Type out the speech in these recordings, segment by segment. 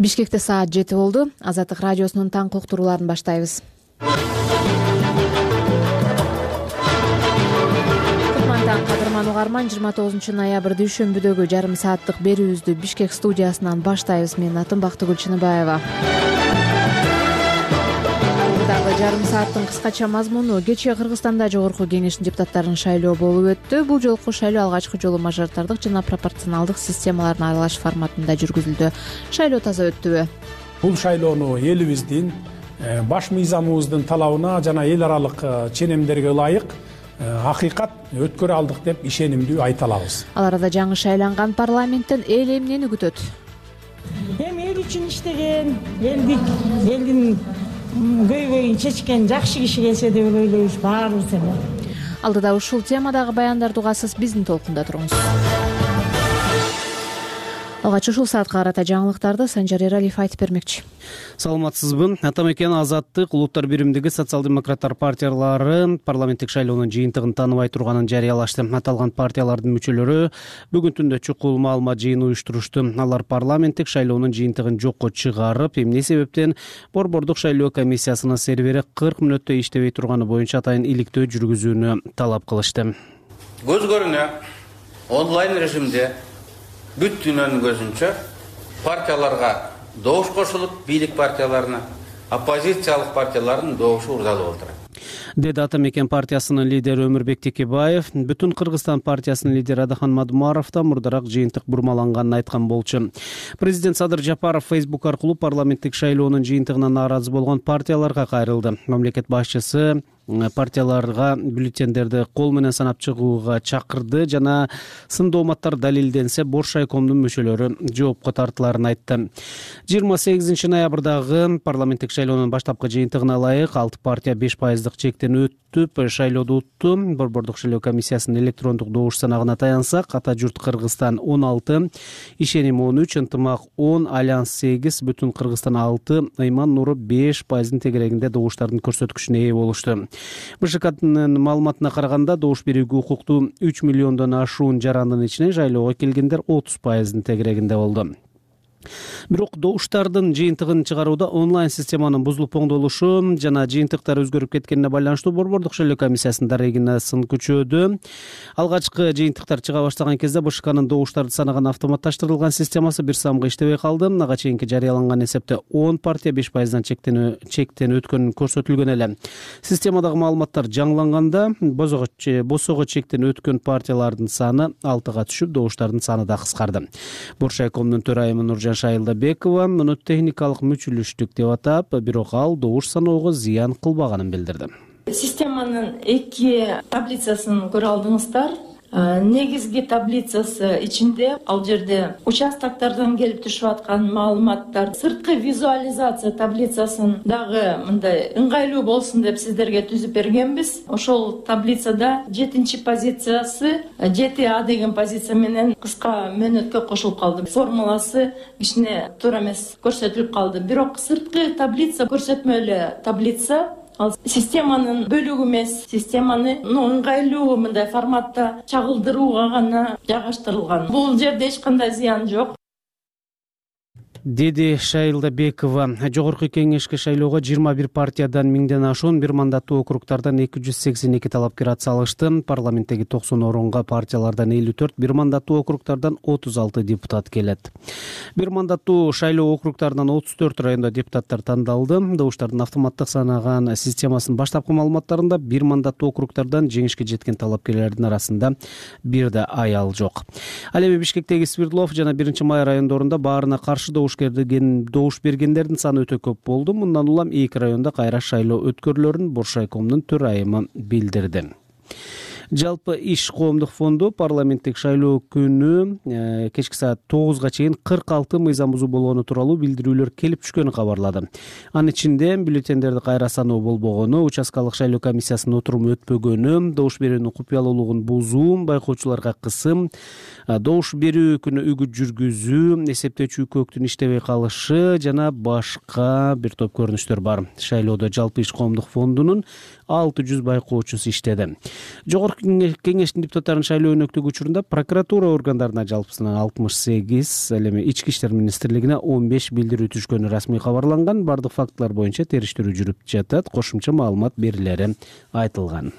Бишкекте саат 7 болду. Азаттык радиосунун таңкы уктурууларын баштайбыз. Кадырман угарман, 29 ноябрь дүйшөмбүдөгү жарым сааттык берүүбүздү Бишкек студиясынан баштайбыз. Менин атым Бактыгүл Чыныбаева. Дагы жарым сааттын кыскача мазмуну: кечээ Кыргызстанда жогорку кеңештин депутаттарын шайлоо болуп өттү. Бул жолку шайлоо алгачкы жолу мажоритардык жана пропорционалдык системаларын аралаш форматында жүргүзүлдү. Шайлоо таза өттүбү? Бул шайлоону элибиздин баш мыйзамыбыздын талабына жана эл аралык ченемдерге ылайык акыйкат өткөрө алдык деп ишенимдүү айта алабыз. Ал арада жаңы шайланган парламенттен эл эмнени күтөт? Эми эл үчүн иштеген, элдин көйгөйүн чечкен жакшы киши келсе деп ойлойбуз баарыбыз эле. Алдыда ушул темадагы баяндарды угасыз, биздин толкунда туруңуз. Алгач ушул саатка карата жаңылыктарды Санжар Эралиев айтып бермекчи. Саламатсызбы? Атамекен Азаттык Улуттар биримдиги социал-демократтар партиялары парламенттик шайлоонун жыйынтыгын тааныбай турганын жарыялашты. Аталган партиялардын мүчөлөрү бүгүн түндө чукул маалымат жыйыны уюштурушту. Алар парламенттик шайлоонун жыйынтыгын жокко чыгарып, эмне себептен Борбордук шайлоо комиссиясынын сервери 40 мүнөттө иштебей турганы боюнча атайын иликтөө жүргүзүүнү талап кылышты. Көз көрүнө онлайн режимде бүт дүйнөнүн көзүнчө партияларга добуш кошулуп, бийлик партияларына оппозициялык партиялардын добушу урдалып отурат, деди Атамекен партиясынын лидери Өмүрбек Текебаев. Бүтүн Кыргызстан партиясынын лидери Адахан Мадумаров да мурдараак жыйынтык бурмаланганын айткан болчу. Президент Садыр Жапаров Facebook аркылуу парламенттик шайлоонун жыйынтыгына нааразы болгон партияларга кайрылды. Мамлекет башчысы партияларга бюллетендерди кол менен санап чыгууга чакырды жана сын дооматтар далилденсе Бош райкомдун мүчөлөрү жоопко тартыларын айтты. 28 ноябрдагы парламенттик шайлоонун баштапкы жыйынтыгына ылайык 6 партия 5% чектен өтүп шайлоодо утту. Борбордук шайлоо комиссиясынын электрондук добуш санагына таянсак, Ата журт Кыргызстан 16, Ишеним 13, Ынтымак 10, Альянс 8, Бүтүн Кыргызстан 6, Ыйман Нуру 5% тегерегинде добуштардын көрсөткүчүнө ээ болушту. БШКнын маалыматына караганда добуш берүүгө укуктуу 3 миллиондон ашуун жарандын ичинен шайлоого келгендер 30% тегерегинде болду. Бирок добуштардын жыйынтыгын чыгарууда онлайн системанын бузулуп оңдолушу жана жыйынтыктар өзгөрүп кеткенине байланыштуу Борбордук шайлоо комиссиясынын дарегине сын күчөөдү. Алгачкы жыйынтыктар чыга баштаган кезде БШКнын добуштарды санаган автоматташтырылган системасы бир самга иштебей калды. Ага чейинки жарыяланган эсепте 10 партия 5%дан чектен өткөнү көрсөтүлгөн эле. Системадагы маалыматтар жаңыланганда босого чектен өткөн партиялардын саны 6га түшүп, добуштардын саны да кыскарды. Бош райкомдун төрайымы Нуржан Шайылдабекова муну техникалык мүчүлүштүк деп атап, бирок ал добуш саноого зыян кылбаганын билдирди. Системанын 2 таблицасын көрө алдыңыздар. Негизги таблицасы ичинде ал жерде участоктордон келип түшүп аткан маалыматтар, сырткы визуализация таблицасын дагы мындай ыңгайлуу болсун деп сиздерге түзүп бергенбиз. Ошол таблицада 7-чи позициясы 7А деген позиция менен кыска мөөнөткө кошулуп калды. Формуласы кичине туура эмес көрсөтүлүп калды. Бирок сырткы таблица көрсөтмө эле таблица. Ал системанын бөлүгү эмес, системаны ыңгайлуу мындай форматта чагылдырууга гана жайгаштырылган. Бул жерде эч кандай зыян жок, деди Шайылдабекова. Жогорку кеңешке шайлоого 21 партиядан 1000ден ашуун бир мандаттуу округтардан 282 талапкер атсалышты. Парламенттеги 90 орунга партиялардан 54, бир мандаттуу округтардан 36 депутат келет. Бир мандаттуу шайлоо округтарынан 34 районда депутаттар тандалды. Добуштардын автоматтык санаган системасынын баштапкы маалыматтарында бир мандаттуу округтардан жеңишке жеткен талапкерлердин арасында бир да аял жок. Ал эми Бишкектеги Свердлов жана 1-Май райондорунда баарына каршы добуш бергендердин саны өтө көп болду. Мындан улам 2 районда кайра шайлоо өткөрүлөрүн Бош райкомдун төрайымы билдирди. Жалпы иш коомдук фонду парламенттик шайлоо күнү кечки саат 9га чейин 46 мыйзам бузуу болгону тууралуу билдирүүлөр келип түшкөнү кабарлады. Анын ичинде бюллетендерди кайра саноо болбогону, участкалык шайлоо комиссиясынын отуруму өтпөгөнү, добуш берүүнүн купуялуулугун бузуу, байкоочуларга кысым, добуш берүү күнү үгүт жүргүзүү, эсептөөчү үкөктүн иштебей калышы жана башка бир топ көрүнүштөр бар. Шайлоодо жалпы иш коомдук фондунун 600 байкоочусу иштеди. Жогорку кеңештин депутаттарын шайлоо өнөктүгү учурунда прокуратура органдарына жалпысынан 68, ал эми ички иштер министрлигине 15 билдирүү түшкөнү расмий кабарланган. Бардык фактылар боюнча териштирүү жүрүп жатат. Кошумча маалымат берилери айтылган.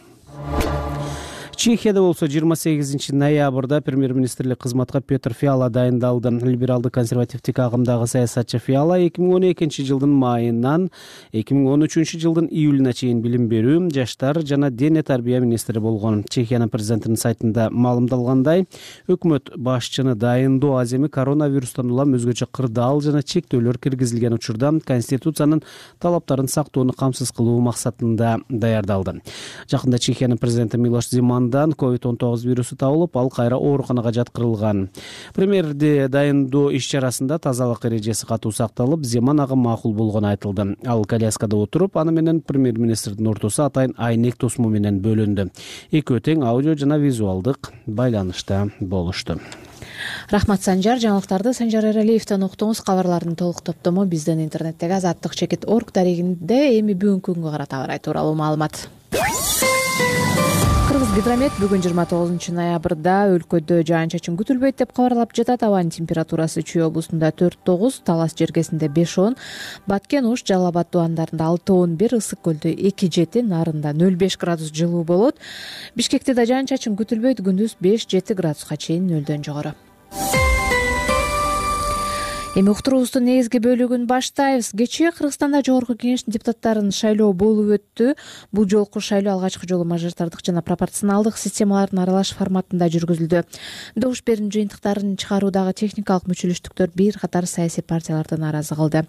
Чехияда болсо 28 ноябрда премьер-министрлик кызматка Петр Фиала дайындалды. Либералдык консервативдик агымдагы саясатчы Фиала 2012 жылдын майынан 2013 жылдын июлуна чейин билим берүү, жаштар жана дене тарбия министри болгон. Чехиянын президентинин сайтында маалымдалгандай, өкмөт башчыны дайындоо аз эми коронавирустан улам өзгөчө кырдаал жана чектөөлөр киргизилген учурда конституциянын талаптарын сактоону камсыз кылуу максатында даярдалды. Жакында Чехиянын президенти Милош Земан COVID-19 вирусу табылып, ал кайра ооруканага жаткырылган. Премьерди дайындоо иш-чарасында тазалык эрежеси катуу сакталып, Земан ага макул болгону айтылды. Ал коляскада отуруп, аны менен премьер-министрдин ортосу атайын айнек тосму менен бөлүндү. Экөө тең аудио жана визуалдык байланышта болушту. Рахмат Санжар. Жаңылыктарды Санжар Эралиевден уктуңуз. Кабарлардын толук топтому биздин интернеттеги azattik.org дарегинде эми бүгүнкү күнгө карата абар тууралуу маалымат. Кыргызгидромет бүгүн 29 ноябрда өлкөдө жаан-чачын күтүлбөйт деп кабарлап жатат. Абанын температурасы Чүй облусунда 4-9, Талас жергесинде 5-10, Баткен, Ош, Жалал Абад тубандарында 6-11, Ысык көлдө 2-7, Нарында 0,5 градус жылуу болот. Бишкекте да жаан-чачын күтүлбөйт, күндүз 5-7 градуска чейин 0дөн жогору. Эми уктуруубуздун негизги бөлүгүн баштайбыз. Кечээ Кыргызстанда Жогорку Кеңештин депутаттарын шайлоо болуп өттү. Бул жолку шайлоо алгачкы жолу мажоритардык жана пропорционалдык системалардын аралаш форматында жүргүзүлдү. Добуш берүү жыйынтыктарын чыгаруудагы техникалык мүчөлөштүктөр бир катар саясий партияларды нааразы кылды.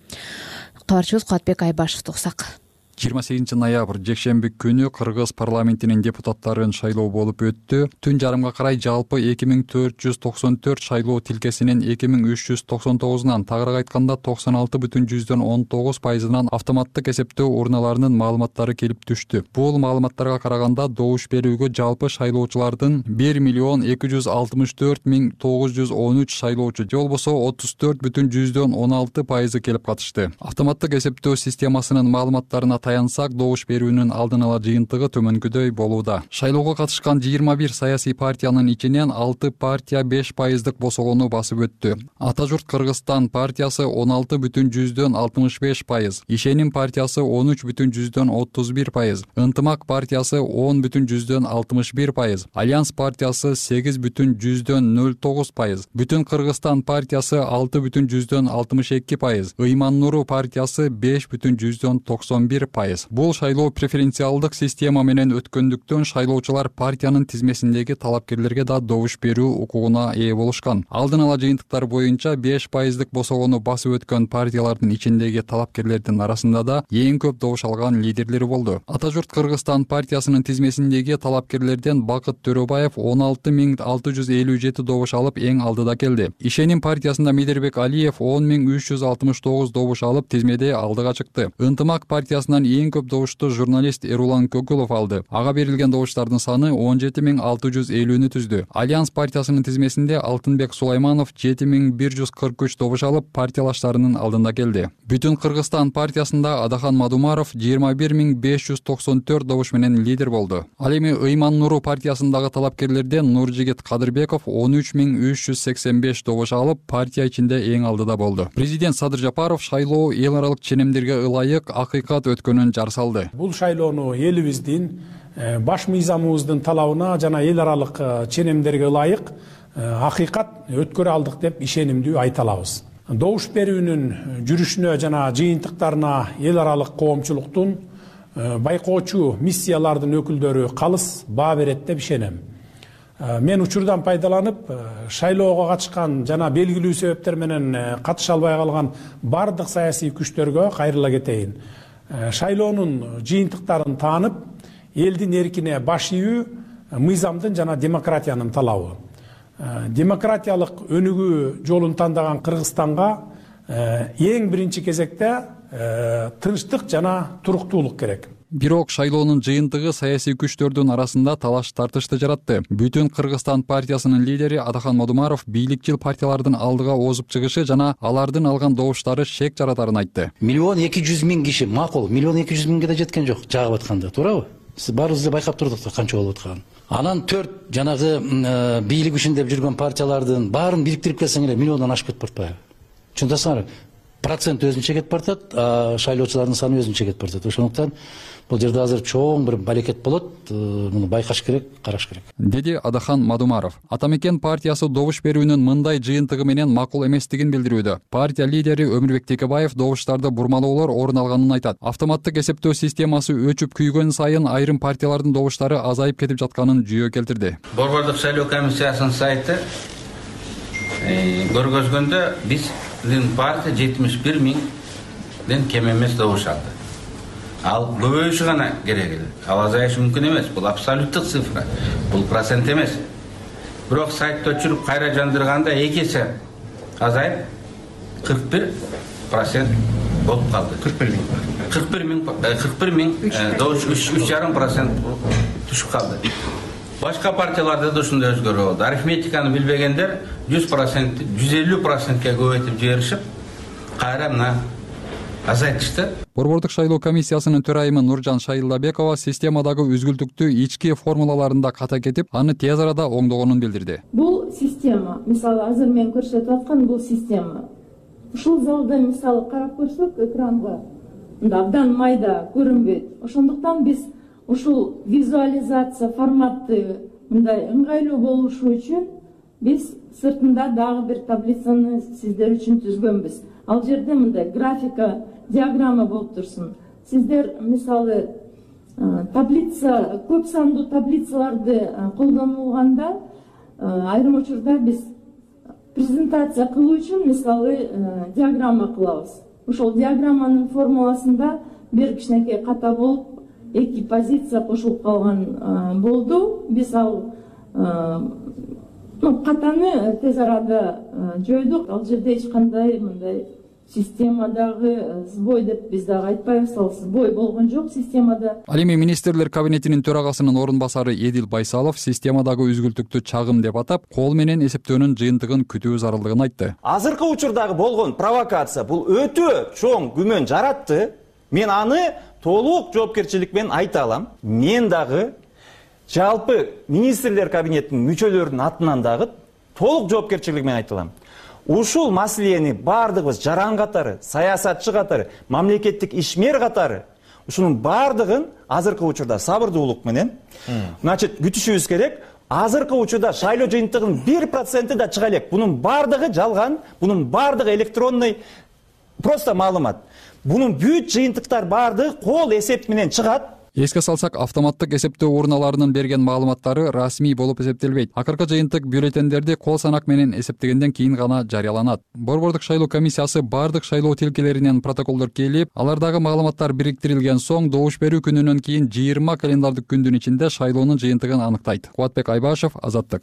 Кабарчыбыз Кубатбек Айбашевди угсак. 28 ноябрь жекшемби күнү Кыргыз парламентинин депутаттарын шайлоо болуп өттү. Түн жарымга карай жалпы 2494 шайлоо тилкесинин 2399-унан, тагыраак айтканда 96,19%-нан автоматтык эсептөө урналарынын маалыматтары келип түштү. Бул маалыматтарга караганда добуш берүүгө жалпы шайлоочулардын 1,264,913 шайлоочу, же болбосо 34,16% келип катышты. Автоматтык эсептөө системасынын маалыматтарына таянсак, добуш берүүнүн алдын ала жыйынтыгы төмөнкүдөй болууда. Шайлоого катышкан 21 саясий партиянын ичинен 6 партия 5%-дык босогону басып өттү. Ата журт Кыргызстан партиясы 16,65%, Ишеним партиясы 13,31%, Ынтымак партиясы 10,61%, Альянс партиясы 8,09%, Бүтүн Кыргызстан партиясы 6,62%, Ыйман Нуру партиясы 5,91%. Бул шайлоо преференциалдык система менен өткөндүктөн шайлоочулар партиянын тизмесиндеги талапкерлерге да добуш берүү укугуна ээ болушкан. Алдын ала жыйынтыктар боюнча 5%-дык босогону басып өткөн партиялардын ичиндеги талапкерлердин арасында да эң көп добуш алган лидерлери болду. Ата журт Кыргызстан партиясынын тизмесиндеги талапкерлерден Бакыт Төрөбаев 16657 добуш алып эң алдыда келди. Ишеним партиясында Медербек Алиев 10369 добуш алып тизмеде алдыга чыкты. Ынтымак партиясынан эң көп добушту журналист Эрулан Көкүлов алды. Ага берилген добуштардын саны 17650-нү түздү. Альянс партиясынын тизмесинде Алтынбек Сулайманов 7143 добуш алып партиялаштарынын алдында келди. Бүтүн Кыргызстан партиясында Адахан Мадумаров 21594 добуш менен лидер болду. Ал эми Ыйман Нуру партиясындагы талапкерлерден Нуржигит Кадырбеков 13385 добуш алып партия ичинде эң алдыда болду. Президент Садыр Жапаров шайлоо эл аралык ченемдерге ылайык акыйкат өткөнүн жар салды. Бул шайлоону элибиздин баш мыйзамыбыздын талабына жана эл аралык ченемдерге ылайык акыйкат өткөрө алдык деп ишенимдүү айта алабыз. Добуш берүүнүн жүрүшүнө жана жыйынтыктарына эл аралык коомчулуктун байкоочу миссиялардын өкүлдөрү калыс баа берет деп ишенем. Мен учурдан пайдаланып, шайлоого катышкан жана белгилүү себептер менен катыша албай калган бардык саясий күчтөргө кайрыла кетейин. Шайлоонун жыйынтыктарын таанып, элдин эркине баш ийүү мыйзамдын жана демократиянын талабы. Демократиялык өнүгүү жолун тандаган Кыргызстанга эң биринчи кезекте тынчтык жана туруктуулук керек. Бирок шайлоонун жыйынтыгы саясий күчтөрдүн арасында талаш тартышты жаратты. Бүтүн Кыргызстан партиясынын лидери Адахан Мадумаров бийликчил партиялардын алдыга озуп чыгышы жана алардын алган добуштары шек жаратарын айтты. 1,2 миллион киши макул, 1,2 миллионго да жеткен жок, жагып атканда, туурабы? Баарыбыз эле байкап турдук да канча болуп атканын. Анан 4 жанагы бийлик ишиндеп жүргөн партиялардын баарын бириктирип келсең эле миллиондон ашып кетип баратпайбы? Түшүнөсүңөр? Процент өзүнчө кетип баратат, шайлоочулардын саны өзүнчө кетип баратат. Ошондуктан бул жерде азыр чоң бир балекет болот. Муну байкаш керек, караш керек. Деди Адахан Мадумаров. Ата Мекен партиясы добуш берүүнүн мындай жыйынтыгы менен макул эместигин билдирүүдө. Партия лидери Өмүрбек Текебаев добуштарды бурмалоолор орун алганын айтат. Автоматтык эсептөө системасы өчүп күйгөн сайын айрым партиялардын добуштары азайып кетип жатканын жүйө келтирди. Борбордук шайлоо комиссиясынын сайты көргөзгөндө биздин партия 71 миңден кем эмес добуш алды. Ал көбөйүшү гана керек эле. Ал азайышы мүмкүн эмес. Бул абсолюттук цифра. Бул процент эмес. Бирок сайтты өчүрүп кайра жандырганда 2 эсе азайып 41% болуп калды. 41 миң добуш 3,5% түшүп калды. Башка партияларда да ушундай өзгөрүү болду. Арифметиканы билбегендер 100%, 150%ке көбөйтүп жиберишип, кайра мына азайтышты. Борбордук шайлоо комиссиясынын төрайымы Нуржан Шайылдабекова системадагы үзгүлтүктү ички формулаларында ката кетип, аны тез арада оңдогонун билдирди. Бул система, мисалы азыр мен көрсөтүп аткан бул система. Ушул залда мисалы карап көрсөк экранга мында абдан майда көрүнбөйт. Ошондуктан биз ушул визуализация форматты мындай ыңгайлуу болушу үчүн биз сыртында дагы бир таблицаны сиздер үчүн түзгөнбүз. Ал жерде мындай графика, диаграмма болуп турсун. Сиздер мисалы таблица, көп сандуу таблицаларды колдонулганда айрым учурда биз презентация кылуу үчүн мисалы диаграмма кылабыз. Ошол диаграмманын формуласында бир кичинекей ката болуп 2 позиция кошулуп калган болду. Биз ал катаны тез арада жойдук. Ал жерде эч кандай мындай системадагы сбой деп биз дагы айтпайбыз. Ал сбой болгон жок системада. Ал эми министрлер кабинетинин төрагасынын орун басары Эдил Байсалов системадагы үзгүлтүктү чагым деп атап, кол менен эсептөөнүн жыйынтыгын күтүү зарылдыгын айтты. Азыркы учурдагы болгон провокация бул өтө чоң күмөн жаратты. Мен аны толук жоопкерчилик менен айта алам. Мен дагы жалпы министрлер кабинетинин мүчөлөрүнүн атынан дагы толук жоопкерчилик менен айта алам. Ушул маселени бардыгыбыз жаран катары, саясатчы катары, мамлекеттик ишмер катары ушунун бардыгын азыркы учурда сабырдуулук менен күтүшүбүз керек. Азыркы учурда шайлоо жыйынтыгынын 1% да чыга элек. Бунун бардыгы жалган, бунун бардыгы электронный просто маалымат. Бунун бүт жыйынтыктар бардыгы кол эсеп менен чыгат. Эске салсак, автоматтык эсептөө урналарынын берген маалыматтары расмий болуп эсептелбейт. Акыркы жыйынтык бюллетендерди кол санак менен эсептегенден кийин гана жарыяланат. Борбордук шайлоо комиссиясы бардык шайлоо тилкелеринен протоколдор келип, алардагы маалыматтар бириктирилген соң добуш берүү күнүнөн кийин 20 календардык күндүн ичинде шайлоонун жыйынтыгын аныктайт. Кубатбек Айбашев, Азаттык.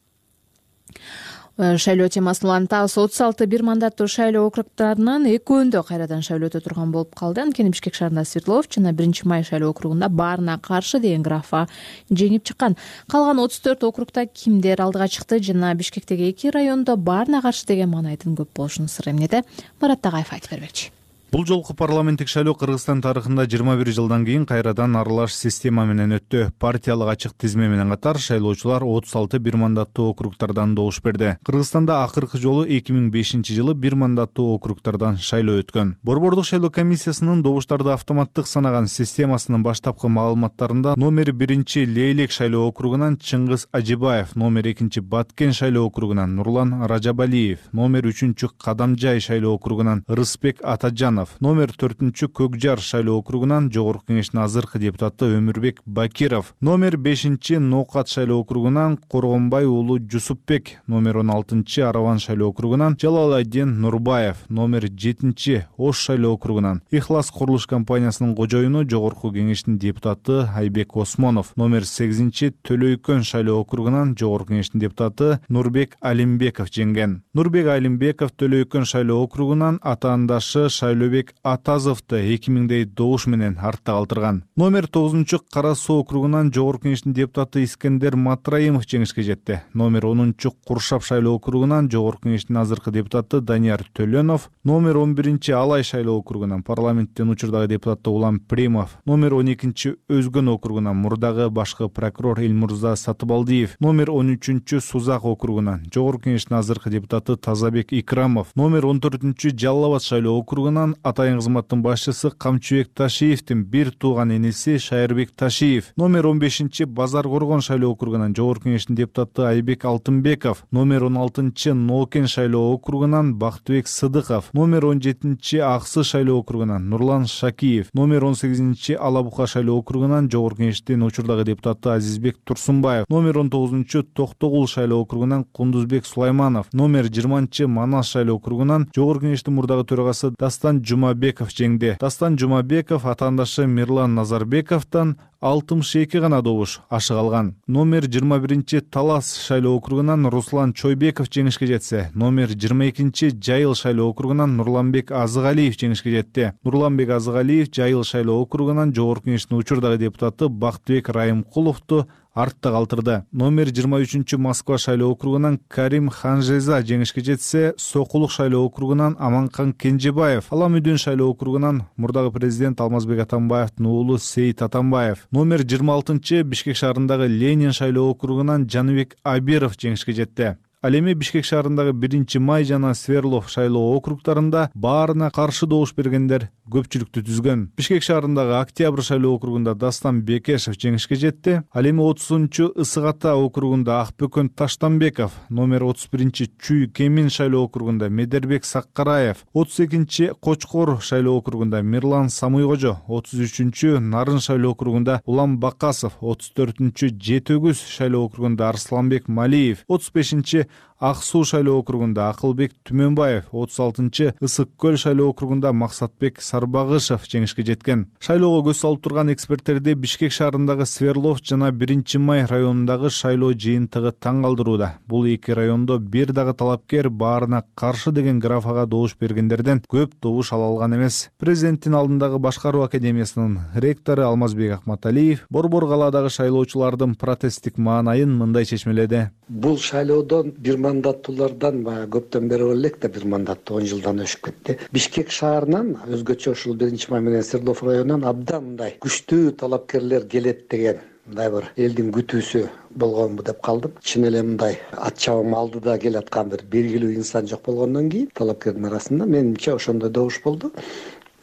Шайлоо темасын улантабыз. 36 бир мандаттуу шайлоо округдарынын экөөндө кайрадан шайлоо өтө турган болуп калды. Анткени Бишкек шаарында Свердлов жана 1-Май шайлоо округунда баарына каршы деген графа жеңип чыккан. Калган 34 округда кимдер алдыга чыкты жана Бишкектеги 2 райондо баарына каршы деген маанайдын көп болушунун сыры эмнеде? Марат Тагаев айтып бермекчи. Бул жолку парламенттик шайлоо Кыргызстан тарыхында 21 жылдан кийин кайрадан аралаш система менен өттү. Партиялык ачык тизме менен катар шайлоочулар 36 бир мандаттуу округдардан добуш берди. Кыргызстанда акыркы жолу 2005-жылы бир мандаттуу округдардан шайлоо өткөн. Борбордук шайлоо комиссиясынын добуштарды автоматтык санаган системасынын баштапкы маалыматтарында номер 1 Лейлек шайлоо округунан Чыңгыз Ажибаев, номер 2 Баткен шайлоо округунан Нурлан Ражабалиев, номер 3 Кадамжай шайлоо округунан Рыспек Атажанов, номер 4 Көкжар шайлоо округунан Жогорку кеңештин азыркы депутаты Өмүрбек Бакиров, номер 5 Ноокат шайлоо округунан Коргонбай уулу Жусупбек, номер 16 Араван шайлоо округунан Жалалайдин Нурбаев, номер 7 Ош шайлоо округунан Ихлас курулуш компаниясынын кожоюну Жогорку кеңештин депутаты Айбек Осмонов, номер 8 Төлөйкөн шайлоо округунан Жогорку кеңештин депутаты Нурбек Алимбеков жеңген. Нурбек Алимбеков Төлөйкөн шайлоо округунан атаандашы шайлоо Төлөбек Атазовду 2000дей добуш менен артта калтырган. Номер 9 Кара Суу округунан Жогорку Кеңештин депутаты Искендер Матраимов жеңишке жетти. Номер 10 Куршап шайлоо округунан Жогорку Кеңештин азыркы депутаты Данияр Төлөнов, номер 11 Алай шайлоо округунан парламенттин учурдагы депутаты Улам Примов, номер 12 Өзгөн округунан мурдагы башкы прокурор Элмурза Сатыбалдиев, номер 13 Сузак округунан Жогорку Кеңештин азыркы депутаты Тазабек Икрамов, номер 14 Жалал Абад шайлоо округунан атайын кызматтын башчысы Камчыбек Ташиевдин бир тууган эниси Шайырбек Ташиев, номер 15 Базар Коргон шайлоо округунан Жогорку Кеңештин депутаты Айбек Алтынбеков, номер 16 Нокен шайлоо округунан Бактыбек Сыдыков, номер 17 Аксы шайлоо округунан Нурлан Шакиев, номер 18 Алабука шайлоо округунан Жогорку Кеңештин учурдагы депутаты Азизбек Турсунбаев, номер 19 Токтогул шайлоо округунан Кундузбек Сулайманов, номер 20 Манас шайлоо округунан Жогорку Кеңештин мурдагы төрагасы Дастан Жумабеков жеңди. Дастан Жумабеков атаандашы Мирлан Назарбековдон 62 гана добуш ашык алган. Номер 21 Талас шайлоо округунан Руслан Чойбеков жеңишке жетсе, номер 22 Жайыл шайлоо округунан Нурланбек Азыгалиев жеңишке жетти. Нурланбек Азыгалиев Жайыл шайлоо округунан Жогорку Кеңештин учурдагы депутаты Бактыбек Райымкуловду артта калтырды. Номер 23 Москва шайлоо округунан Карим Ханжеза жеңишке жетсе, Сокулук шайлоо округунан Аманкан Кенжебаев, Аламүдүн шайлоо округунан мурдагы президент Алмазбек Атамбаевдин уулу Сейит Атамбаев, номер 26 Бишкек шаарындагы Ленин шайлоо округунан Жаныбек Абиров жеңишке жетти. Ал эми Бишкек шаарындагы 1-Май жана Сверлов шайлоо округдарында баарына каршы добуш бергендер көпчүлүктү түзгөн. Бишкек шаарындагы Октябрь шайлоо округунда Дастан Бекешев жеңишке жетти. Ал эми 30 Ысык Ата округунда Акбөкөн Таштанбеков, номер 31 Чүй Кемин шайлоо округунда Медербек Саккараев, 32 Кочкор шайлоо округунда Мирлан Самуйкожо, 33 Нарын шайлоо округунда Улам Бакасов, 34 Жетөгүз шайлоо округунда Арсланбек Малиев, 35 Ак Суу шайлоо округунда Акылбек Түмөнбаев, 36 Ысык Көл шайлоо округунда Максатбек Сарбагышев жеңишке жеткен. Шайлоого көз салып турган эксперттерди Бишкек шаарындагы Сверлов жана 1-Май районундагы шайлоо жыйынтыгы таң калтырууда. Бул эки райондо бир дагы талапкер баарына каршы деген графага добуш бергендерден көп добуш ала алган эмес. Президенттин алдындагы башкаруу академиясынын ректору Алмазбек Акматалиев Борбор калаадагы шайлоочулардын протесттик маанайын мындай чечмеледи. Бул шайлоодон бир мандаттуулардан көптөн бери элек да бир мандаттуу 10 жылдан өшүп кетти. Бишкек шаарынан өзгөчө ушул 1-Май менен Свердлов районунан абдан мындай күчтүү талапкерлер келет деген мындай бир элдин күтүүсү болгонбу деп калдым. Чын эле мындай ат чабым алдыда келаткан бир белгилүү инсан жок болгондон кийин талапкердин арасында менимче ошондой добуш болду.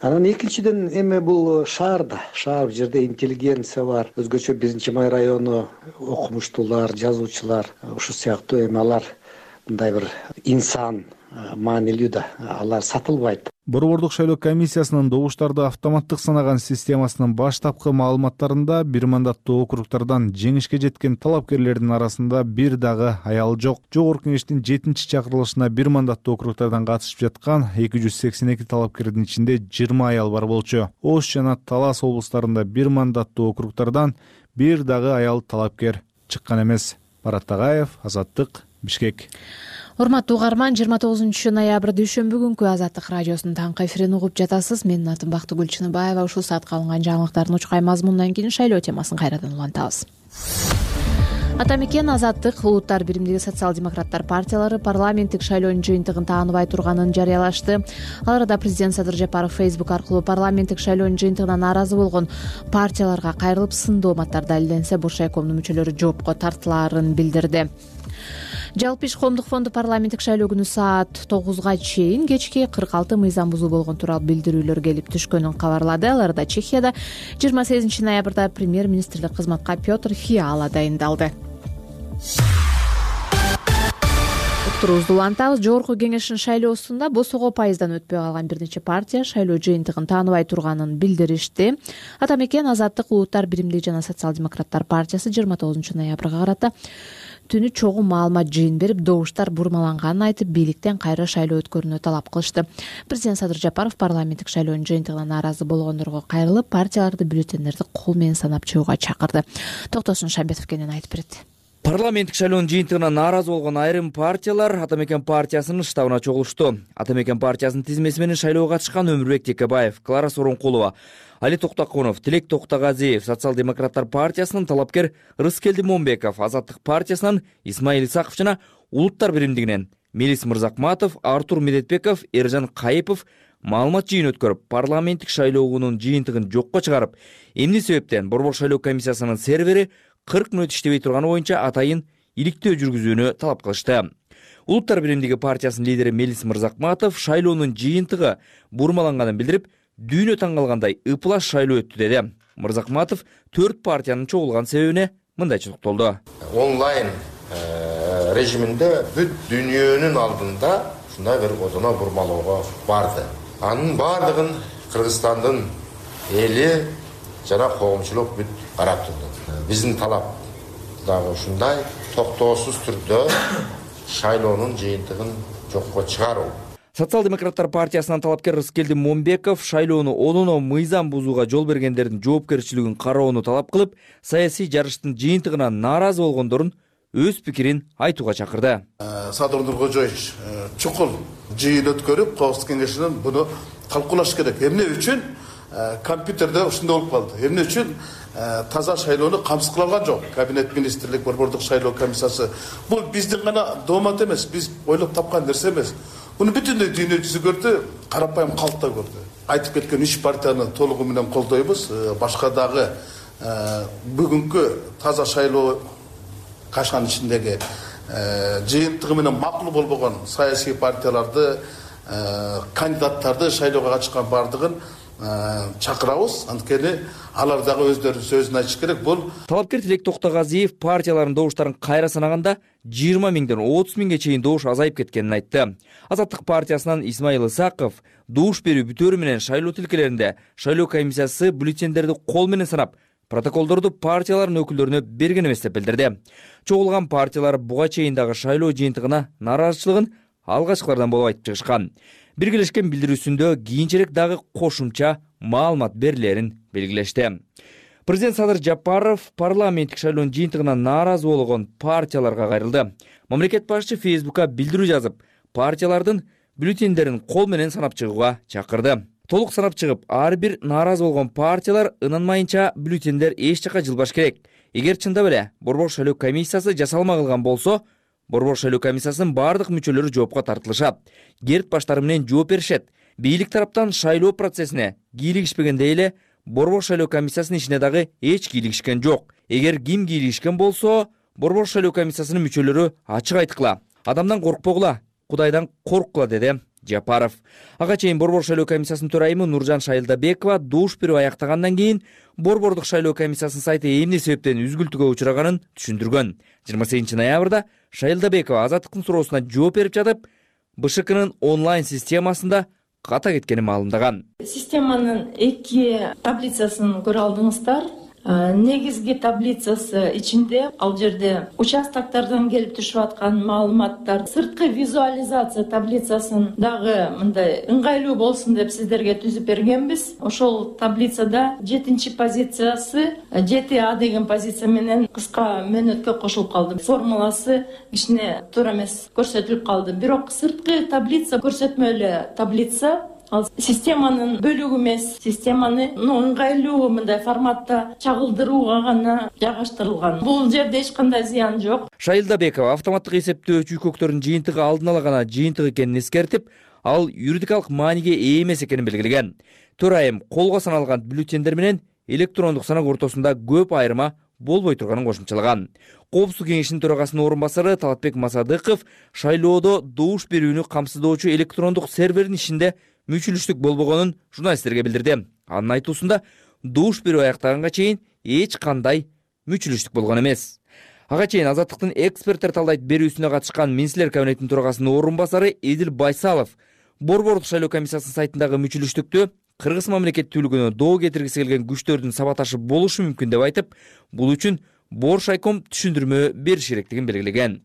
Анан экинчиден эми бул шаар бул жерде интеллигенция бар, өзгөчө 1-Май району окумуштуулар, жазуучулар, ушул сыяктуу эми алар мындай бир инсан маанилүү да, алар сатылбайт. Борбордук шайлоо комиссиясынын добуштарды автоматтык санаган системасынын баштапкы маалыматтарында бир мандаттуу округдардан жеңишке жеткен талапкерлердин арасында бир дагы аял жок. Жогорку Кеңештин 7-чакырылышына бир мандаттуу округдардан катышып жаткан 282 талапкердин ичинде 20 аял бар болчу. Ош жана Талас облустарында бир мандаттуу округдардан бир дагы аял талапкер чыккан эмес. Барат Тагаев, Азаттык, Бишкек. Урматтуу угарман, 29 ноябрь дүйшөмбү күнкү Азаттык радиосунун таңкы эфирин угуп жатасыз. Менин атым Бактыгүл Чыныбаева. Ушул саатка алынган жаңылыктардын учкай мазмунунан кийин шайлоо темасын кайрадан улантабыз. Ата мекен Азаттык улуттар биримдиги социал-демократтар партиялары парламенттик шайлоонун жыйынтыгын тааныбай турганын жарыялашты. Ал арада президент Садыр Жапаров Facebook аркылуу парламенттик шайлоонун жыйынтыгына нааразы болгон партияларга кайрылып сындуу мааттар далилденсе Буршайкомдун мүчөлөрү жоопко тартылаарын билдирди. Жалпы иш коомдук фонду парламенттик шайлоо күнү саат 9га чейин кечки 46 мыйзам бузуу болгон тууралуу билдирүүлөр келип түшкөнүн кабарлады. Ал арада Чехияда 28 ноябрда премьер-министрлик кызматка Петр Фиала дайындалды. Уктуруубузду улантабыз. Жогорку Кеңештин шайлоосунда босого пайыздан өтпөй калган бир нече партия шайлоо жыйынтыгын тааныбай турганын билдиришти. Ата мекен Азаттык улуттар биримдиги жана социал-демократтар партиясы 29 ноябрга карата түнү чогуу маалымат жыйын берип, добуштар бурмаланганын айтып, бийликтен кайра шайлоо өткөрүүнү талап кылышты. Президент Садыр Жапаров парламенттик шайлоонун жыйынтыгына нааразы болгондорго кайрылып, партияларды бюллетендерди кол менен санап чыгууга чакырды. Токтосун Шамбетов кенен айтып берет. Парламенттик шайлоонун жыйынтыгына нааразы болгон айрым партиялар Ата Мекен партиясынын штабына чогулушту. Ата Мекен партиясынын тизмеси менен шайлоого катышкан Өмүрбек Текебаев, Клара Сооронкулова, Али Токтокунов, Тилек Токтогазиев, Социал-демократтар партиясынын талапкер Рыскелди Момбеков, Азаттык партиясынан Исмаил Исаков жана Улуттар биримдигинен Мелис Мырзакматов, Артур Медетбеков, Эржан Кайыпов маалымат жыйын өткөрүп, парламенттик шайлоонун жыйынтыгын жокко чыгарып, эмне себептен Борбор шайлоо комиссиясынын сервери 40 мүнөт иштебей турганы боюнча атайын иликтөө жүргүзүүнү талап кылышты. Улуттар биримдиги партиясынын лидери Мелис Мырзакматов шайлоонун жыйынтыгы бурмаланганын билдирип, дүйнө таң калгандай ыплас шайлоо өттү деди. Мырзакматов 4 партиянын чогулган себебине мындайча токтолду. Онлайн режиминде бүт дүйнөнүн алдында ушундай бир одоно бурмалоого барды. Анын бардыгын Кыргызстандын эли жана коомчулук бүт карап турду. Биздин талап дагы ушундай токтоосуз түрдө шайлоонун жыйынтыгын жокко чыгаруу. Социал-демократтар партиясынан талапкер Рыскелди Момбеков шайлоону одоно мыйзам бузууга жол бергендердин жоопкерчилигин кароону талап кылып, саясий жарыштын жыйынтыгына нааразы болгондорун өз пикирин айтууга чакырды. Садыр Нуркожоевич чукул жыйын өткөрүп, Коопсуздук кеңешинен буну талкуулаш керек. Эмне үчүн компьютерде ушундай болуп калды? Эмне үчүн таза шайлоону камсыз кыла алган жок? Кабинет министрлик, Борбордук шайлоо комиссиясы. Бул биздин гана доомат эмес, биз ойлоп тапкан нерсе эмес. Буну бүтүндөй дүйнө жүзү көрдү, карапайым калк да көрдү. Айтып кеткен 3 партияны толугу менен колдойбуз. Башка дагы бүгүнкү таза шайлоо кашкан ичиндеги жыйынтыгы менен макул болбогон саясий партияларды, кандидаттарды шайлоого катышкан бардыгын чакырабыз. Анткени алар дагы өздөрүнүн сөзүн айтыш керек. Бул талапкер Тилек Токтогазиев партиялардын добуштарын кайра санаганда 20 миңден 30 миңге чейин добуш азайып кеткенин айтты. Азаттык партиясынан Исмаил Исаков добуш берүү бүтөөрү менен шайлоо тилкелеринде шайлоо комиссиясы бюллетендерди кол менен санап, протоколдорду партиялардын өкүлдөрүнө берген эмес деп билдирди. Чогулган партиялар буга чейин дагы шайлоо жыйынтыгына нааразычылыгын алгачкылардан болуп айтып чыгышкан. Биргелешкен билдирүүсүндө кийинчерээк дагы кошумча маалымат берилерин белгилешти. Президент Садыр Жапаров парламенттик шайлоонун жыйынтыгына нааразы болгон партияларга кайрылды. Мамлекет башчы Фейсбукка билдирүү жазып, партиялардын бюллетендерин кол менен санап чыгууга чакырды. Толук санап чыгып, ар бир нааразы болгон партиялар ынанмайынча бюллетендер эч жакка жылбаш керек. Эгер чындап эле Борбор шайлоо комиссиясы жасалма кылган болсо, Борбор шайлоо комиссиясынын бардык мүчөлөрү жоопко тартылышат. Керт баштары менен жооп беришет. Бийлик тараптан шайлоо процессине кийлигишпегендей эле Борбор шайлоо комиссиясынын ишине дагы эч кийлигишкен жок. Эгер ким кийлигишкен болсо, Борбор шайлоо комиссиясынын мүчөлөрү ачык айткыла. Адамдан коркпогула, Кудайдан корккула, деди Жапаров. Ага чейин Борбор шайлоо комиссиясынын төрайымы Нуржан Шайылдабекова добуш берүү аяктагандан кийин Борбордук шайлоо комиссиясынын сайты эмне себептен үзгүлтүүгө учураганын түшүндүргөн. 28 ноябрда Шайылдабекова Азаттыктын суроосуна жооп берип жатып, БШКнын онлайн системасында ката кеткенин маалымдаган. Системанын 2 таблицасын көрө алдыңыздар. Негизги таблицасы ичинде ал жерде участоктордон келип түшүп аткан маалыматтар, сырткы визуализация таблицасын дагы мындай ыңгайлуу болсун деп сиздерге түзүп бергенбиз. Ошол таблицада 7-чи позициясы 7А деген позиция менен кыска мөөнөткө кошулуп калды. Формуласы кичине туура эмес көрсөтүлүп калды. Бирок сырткы таблица көрсөтмө эле таблица. Ал системанын бөлүгү эмес, системаны ыңгайлуу мындай форматта чагылдырууга гана жайгаштырылган. Бул жерде эч кандай зыян жок. Шайылдабекова автоматтык эсептөө чүйкөктөрүнүн жыйынтыгы алдын ала гана жыйынтык экенин эскертип, ал юридикалык мааниге ээ эмес экенин белгилеген. Төрайым колго саналган бюллетендер менен электрондук санак ортосунда көп айырма болбой турганын кошумчалаган. Коопсуздук кеңешинин төрагасынын орун басары Талатбек Масадыков шайлоодо добуш берүүнү камсыздоочу электрондук сервердин ишинде мүчүлүштүк болбогонун журналисттерге билдирди. Анын айтуусунда добуш берүү аяктаганга чейин эч кандай мүчүлүштүк болгон эмес. Ага чейин Азаттыктын эксперттер талдайт берүүсүнө катышкан Министрлер кабинетинин төрагасынын орун басары Эдил Байсалов Борбордук шайлоо комиссиясынын сайтындагы мүчүлүштүктү Кыргыз мамлекеттүүлүгүнө доо кетиргиси келген күчтөрдүн сабаташы болушу мүмкүн деп айтып, бул үчүн Боршайком түшүндүрмө бериш керектигин белгилеген.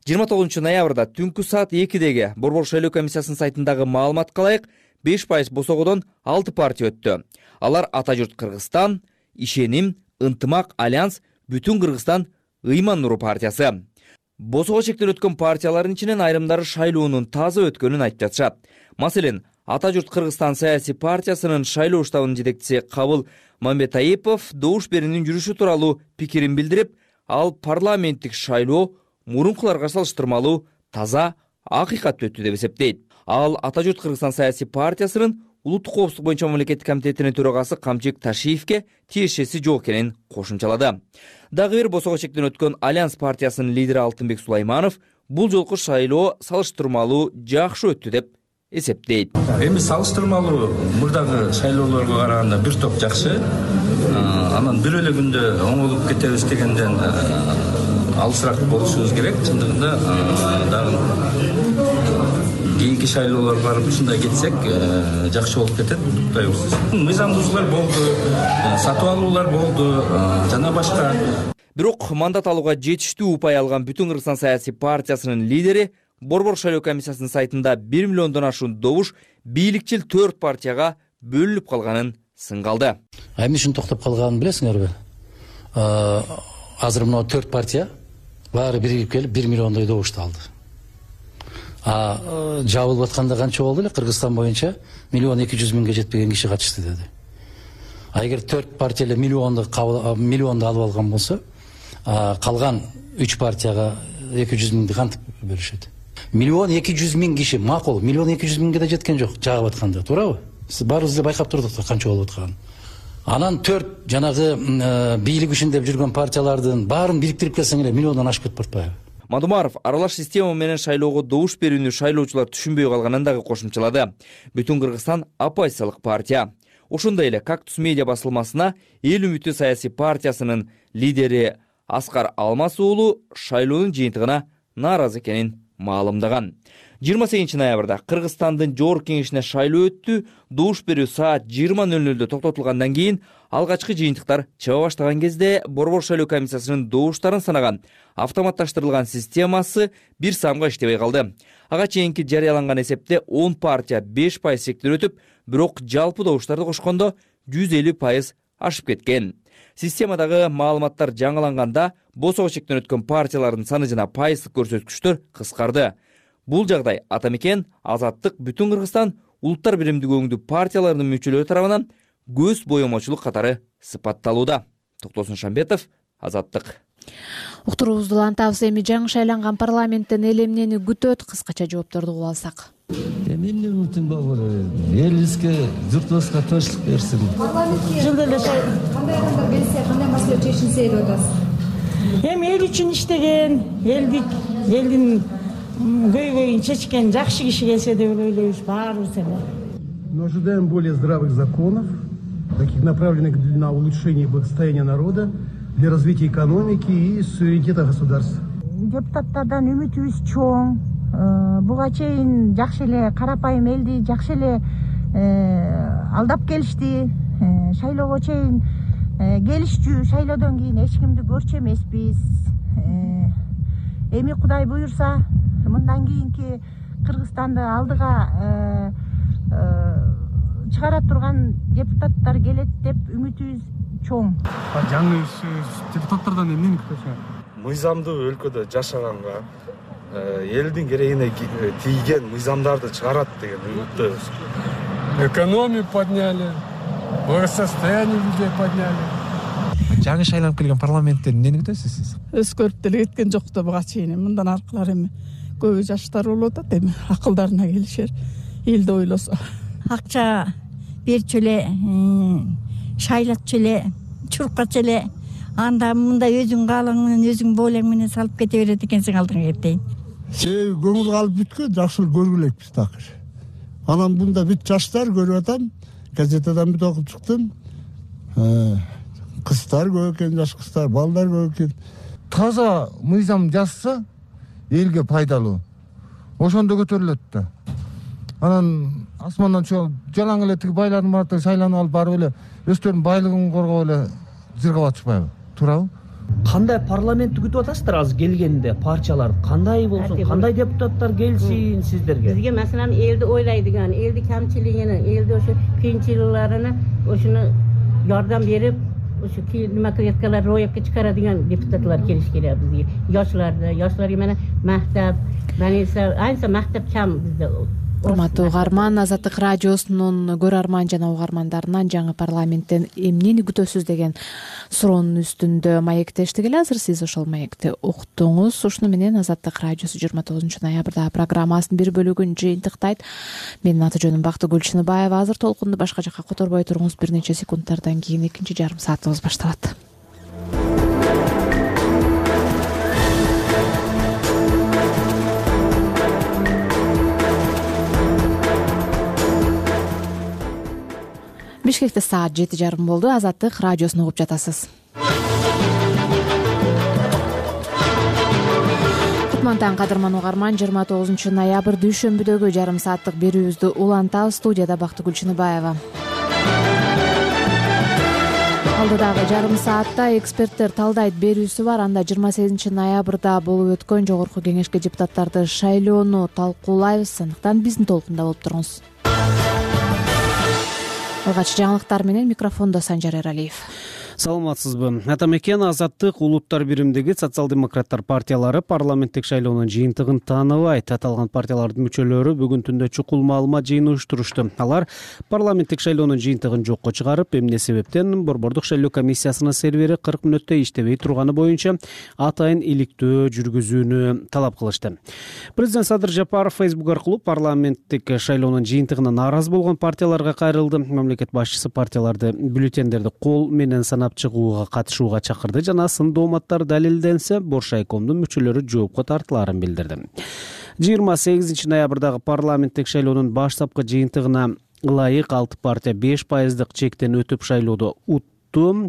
29 ноябрда түнкү саат 2-деги Борбор шайлоо комиссиясынын сайтындагы маалыматка ылайык 5% босогодон 6 партия өттү. Алар Ата журт Кыргызстан, Ишеним, Ынтымак, Альянс, Бүтүн Кыргызстан, Ыйман Нуру партиясы. Босого чектелип өткөн партиялардын ичинен айрымдары шайлоонун таза өткөнүн айтып жатышат. Маселен, Ата журт Кыргызстан саясий партиясынын шайлоо штабынын жетекчиси Кабыл Мамбетаипов добуш берүүнүн жүрүшү тууралуу пикирин билдирип, ал парламенттик шайлоо мурункуларга салыштырмалуу таза, акыйкаттуу өттү деп эсептейт. Ал Ата журт Кыргызстан саясий партиясынын улуттук коопсуздук боюнча мамлекеттик комитетинин төрагасы Камчик Ташиевке тиешеси жок экенин кошумчалады. Дагы бир босого чектен өткөн Альянс партиясынын лидери Алтынбек Сулайманов бул жолку шайлоо салыштырмалуу жакшы өттү деп эсептейт. Эми салыштырмалуу мурдагы шайлоолорго караганда бир топ жакшы. Анан бир эле күндө оңолуп кетебиз дегенден алысыраак болушубуз керек. Чындыгында дагы кийинки шайлоолорго барып ушундай кетсек жакшы болуп кетет деп куттайбыз. Мыйзамдуучулар болду, сатып алуулар болду, жана башка. Бирок мандат алууга жетиштүү упай алган Бүтүн Кыргызстан саясий партиясынын лидери Борбор шайлоо комиссиясынын сайтында 1 миллиондон ашуун добуш бийликчил 4 партияга бөлүнүп калганын сынгалды. Эмне үчүн токтоп калганын билесиңерби? Азыр мына 4 партия баары биригип келип 1 миллиондой добушту алды. Жабылып атканда канча болду эле? Кыргызстан боюнча 1.200.000 жетпеген киши катышты деди. Эгер 4 партия эле миллионду алып алган болсо, калган 3 партияга 200.000 кантип бөлүшөт? 1.200.000 киши макул, 1.200.000 да жеткен жок жагып атканда, туурабы? Сиз баарыбыз эле байкап турдук да канча болуп атканын. Анан 4 жанагы бийлик үчүн деп жүргөн партиялардын баарын бириктирип келсең эле миллиондон ашып кетип барбайбы? Мадумаров аралаш система менен шайлоого добуш берүүнү шайлоочулар түшүнбөй калганын дагы кошумчалады. Бүтүн Кыргызстан оппозициялык партия. Ошондой эле Кактус медиа басылмасына Эл үмүтү саясий партиясынын лидери Аскар Алмаз уулу шайлоонун жыйынтыгына нааразы экенин маалымдаган. 28 ноябрда Кыргызстандын жогорку кеңешине шайлоо өттү. Добуш берүү саат 20:00 токтотулгандан кийин алгачкы жыйынтыктар чыга баштаган кезде Борбор шайлоо комиссиясынын добуштарын санаган автоматташтырылган системасы бир самга иштебей калды. Ага чейинки жарыяланган эсепте 10 партия 5% сектер өтүп, бирок жалпы добуштарды кошкондо 150% ашып кеткен. Системадагы маалыматтар жаңыланганда босого чектен өткөн партиялардын саны жана пайыздык көрсөткүчтөр кыскарды. Бул жагдай Атамекен, Азаттык, Бүтүн Кыргызстан, Улуттар биримдиги партияларынын мүчөлөрү тарабынан көз боемочулук катары сыпатталууда. Токтосун Шамбетов, Азаттык. Уктуруубузду улантабыз. Эми жаңы шайланган парламенттен эл эмнени күтөт? Кыскача жоопторду угуп алсак. Эмне үмүтүм бар? Элибизге, журтубузга тынчтык берсин. Жылда эле кандай адамдар келсе, кандай маселе чечилсе деп атасыз? Эми эл үчүн иштеген, элдин көйгөйүн чечкен жакшы киши келсе деп ойлойбуз баарыбыз эле. Мы ожидаем более здравых законов, таких направленных на улучшение благосостояния народа, для развития экономики и суверенитета государства. Депутаттардан үмүтүбүз чоң. Буга чейин жакшы эле карапайым элди жакшы эле алдап келишти. Шайлоого чейин келишчү, шайлоодон кийин эч кимди көрчү эмеспиз. Эми Кудай буюрса, мындан кийинки Кыргызстанды алдыга чыгара турган депутаттар келет деп үмүтүбүз чоң. Жаңы депутаттардан эмнени күтөсүңөр? Мыйзамдуу өлкөдө жашаганга, элдин керегине тийген мыйзамдарды чыгарат деген үмүттөбүз. Экономию подняли, благосостояние людей подняли. Жаңы шайланып келген парламенттен эмнени күтөсүз сиз? Өзгөрүп деле кеткен жок да буга чейин. Мындан аркылар эми көбү жаштар болуп атат, эми акылдарына келишер, элди ойлосо. Акча берчү эле, шайлатчу эле, чуркачу эле, анда мындай өзүң каалаң менен, өзүң бойлоң менен салып кете берет экенсиң алдыңа кетейин. Себеби көңүл калып бүткөн, жакшы көргүлө элекпиз такыр. Анан мында бүт жаштар көрүп атам, газетадан бүт окуп чыктым. Кыздар көп экен, жаш кыздар, балдар көп экен. Таза мыйзам жазса элге пайдалуу. Ошондо көтөрүлөт да. Анан асмандан жалаң эле тиги байлардын баардыгы шайланып алып барып эле өздөрүнүн байлыгын коргоп эле зыргап атышпайбы? Туурабы? Кандай парламентти күтүп атасыздар азыр келгенде партиялар? Кандай болсун, кандай депутаттар келсин сиздерге? Бизге маселен элди ойлойдуган, элди камчылыгын, элди ошо кыйынчылыктарына ошону жардам берип, ушу нема клеткалар роябга чыгарадыган депутатлар келиш керек бизге. Yoshlarga mana maktab, ayniqsa maktab kam bizda. Урматтуу угарман, Азаттык радиосунун көрөрман жана угармандарынан жаңы парламенттен эмнени күтөсүз деген суроонун үстүндө маектештик эле. Азыр сиз ошол маекти уктуңуз. Ушуну менен Азаттык радиосу 29 ноябрда программасынын бир бөлүгүн жыйынтыктайт. Менин аты жөнүм Бактыгүл Чыныбаева. Азыр толкунду башка жакка которбой туруңуз. Бир нече секундтардан кийин экинчи жарым саатыбыз башталат. Бишкекте саат 7:30 болду. Азаттык радиосун угуп жатасыз. Кутмантан кадырман угарман, 29 ноябрь дүйшөмбүдөгү жарым сааттык берүүбүздү улантабыз. Студияда Бактыгүл Чыныбаева. Алдыдагы жарым саатта эксперттер талдайт берүүсү бар. Анда 28 ноябрда болуп өткөн жогорку кеңешке депутаттарды шайлоону талкуулайбыз. Андыктан биздин толкунда болуп туруңуз. Алгач жаңылыктар менен микрофондо Санжар Эралиев. Саламатсызбы. Атамекен Азаттык улуттар биримдиги социал-демократтар партиялары парламенттик шайлоонун жыйынтыгын тааныбайт. Аталган партиялардын мүчөлөрү бүгүн түндө чукул маалымат жыйыны уюштурушту. Алар парламенттик шайлоонун жыйынтыгын жокко чыгарып, эмне себептен Борбордук шайлоо комиссиясынын сервери 40 мүнөттө иштебей турганы боюнча атайын иликтөө жүргүзүүнү талап кылышты. Президент Садыр Жапаров Facebook аркылуу парламенттик шайлоонун жыйынтыгына нааразы болгон партияларга кайрылды. Мамлекет башчысы партияларды бюллетендерди кол менен санап чыгууга катышууга чакырды жана сын дооматтар далилденсе Боршайкомдун мүчөлөрү жоопко тартылаарын билдирди. 28 ноябрдагы парламенттик шайлоонун баштапкы жыйынтыгына ылайык 6 партия 5% чектен өтүп шайлоодо утту.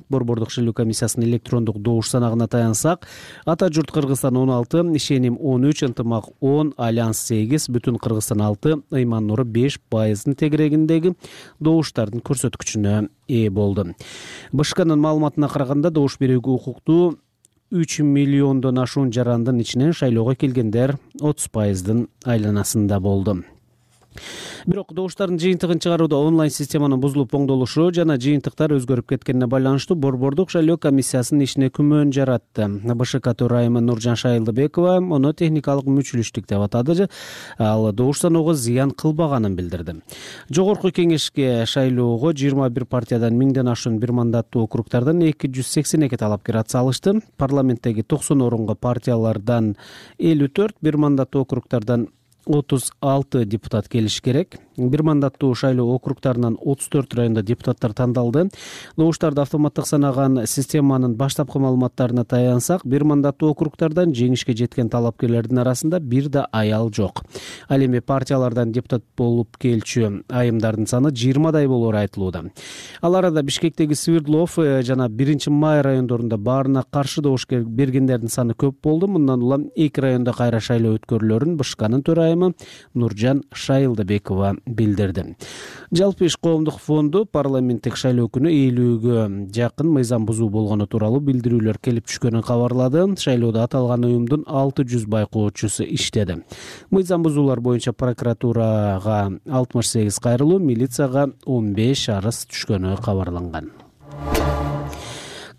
Борбордук шайлоо комиссиясынын электрондук добуш санагына таянсак, Ата журт Кыргызстан 16, Ишеним 13, Ынтымак 10, Альянс 8, Бүтүн Кыргызстан 6, Ыйман Нуру 5% тегерегиндеги добуштардын көрсөткүчүнө ээ болду. БШКнын маалыматына караганда добуш берүүгө укуктуу 3 миллиондон ашуун жарандын ичинен шайлоого келгендер 30%дын айланасында болду. Бирок добуштардын жыйынтыгын чыгарууда онлайн системанын бузулуп оңдолушу жана жыйынтыктар өзгөрүп кеткенине байланыштуу Борбордук шайлоо комиссиясынын ишине күмөн жаратты. БШК төрайымы Нуржан Шайылдыбекова муну техникалык мүчүлүштүк деп атады. Ал добуш саноого зыян кылбаганын билдирди. Жогорку кеңешке шайлоого 21 партиядан 1000ден ашуун бир мандаттуу округдардан 282 талапкер ат салышты. Парламенттеги 90 орунга партиялардан 54, бир мандаттуу округдардан 36 депутат келиш керек. Бир мандаттуу шайлоо округдарынан 34 районда депутаттар тандалды. Добуштарды автоматтык санаган системанын баштапкы маалыматтарына таянсак, бир мандаттуу округдардан жеңишке жеткен талапкерлердин арасында бир да аял жок. Ал эми партиялардан депутат болуп келчү айымдардын саны 20дай болоору айтылууда. Ал арада Бишкектеги Свердлов жана 1-Май райондорунда баарына каршы добуш бергендердин саны көп болду. Мындан улам 2 районда кайра шайлоо өткөрүлөрүн БШКнын төрайымы Нуржан Шайылдыбекова билдирди. Жалпы иш коомдук фонду парламенттик шайлоо күнү ээлүүгө жакын мыйзам бузуу болгону тууралуу билдирүүлөр келип түшкөнүн кабарлады. Шайлоодо аталган уюмдун 600 байкоочусу иштеди. Мыйзам бузуулар боюнча прокуратурага 68 кайрылуу, милицияга 15 арыз түшкөнү кабарланган.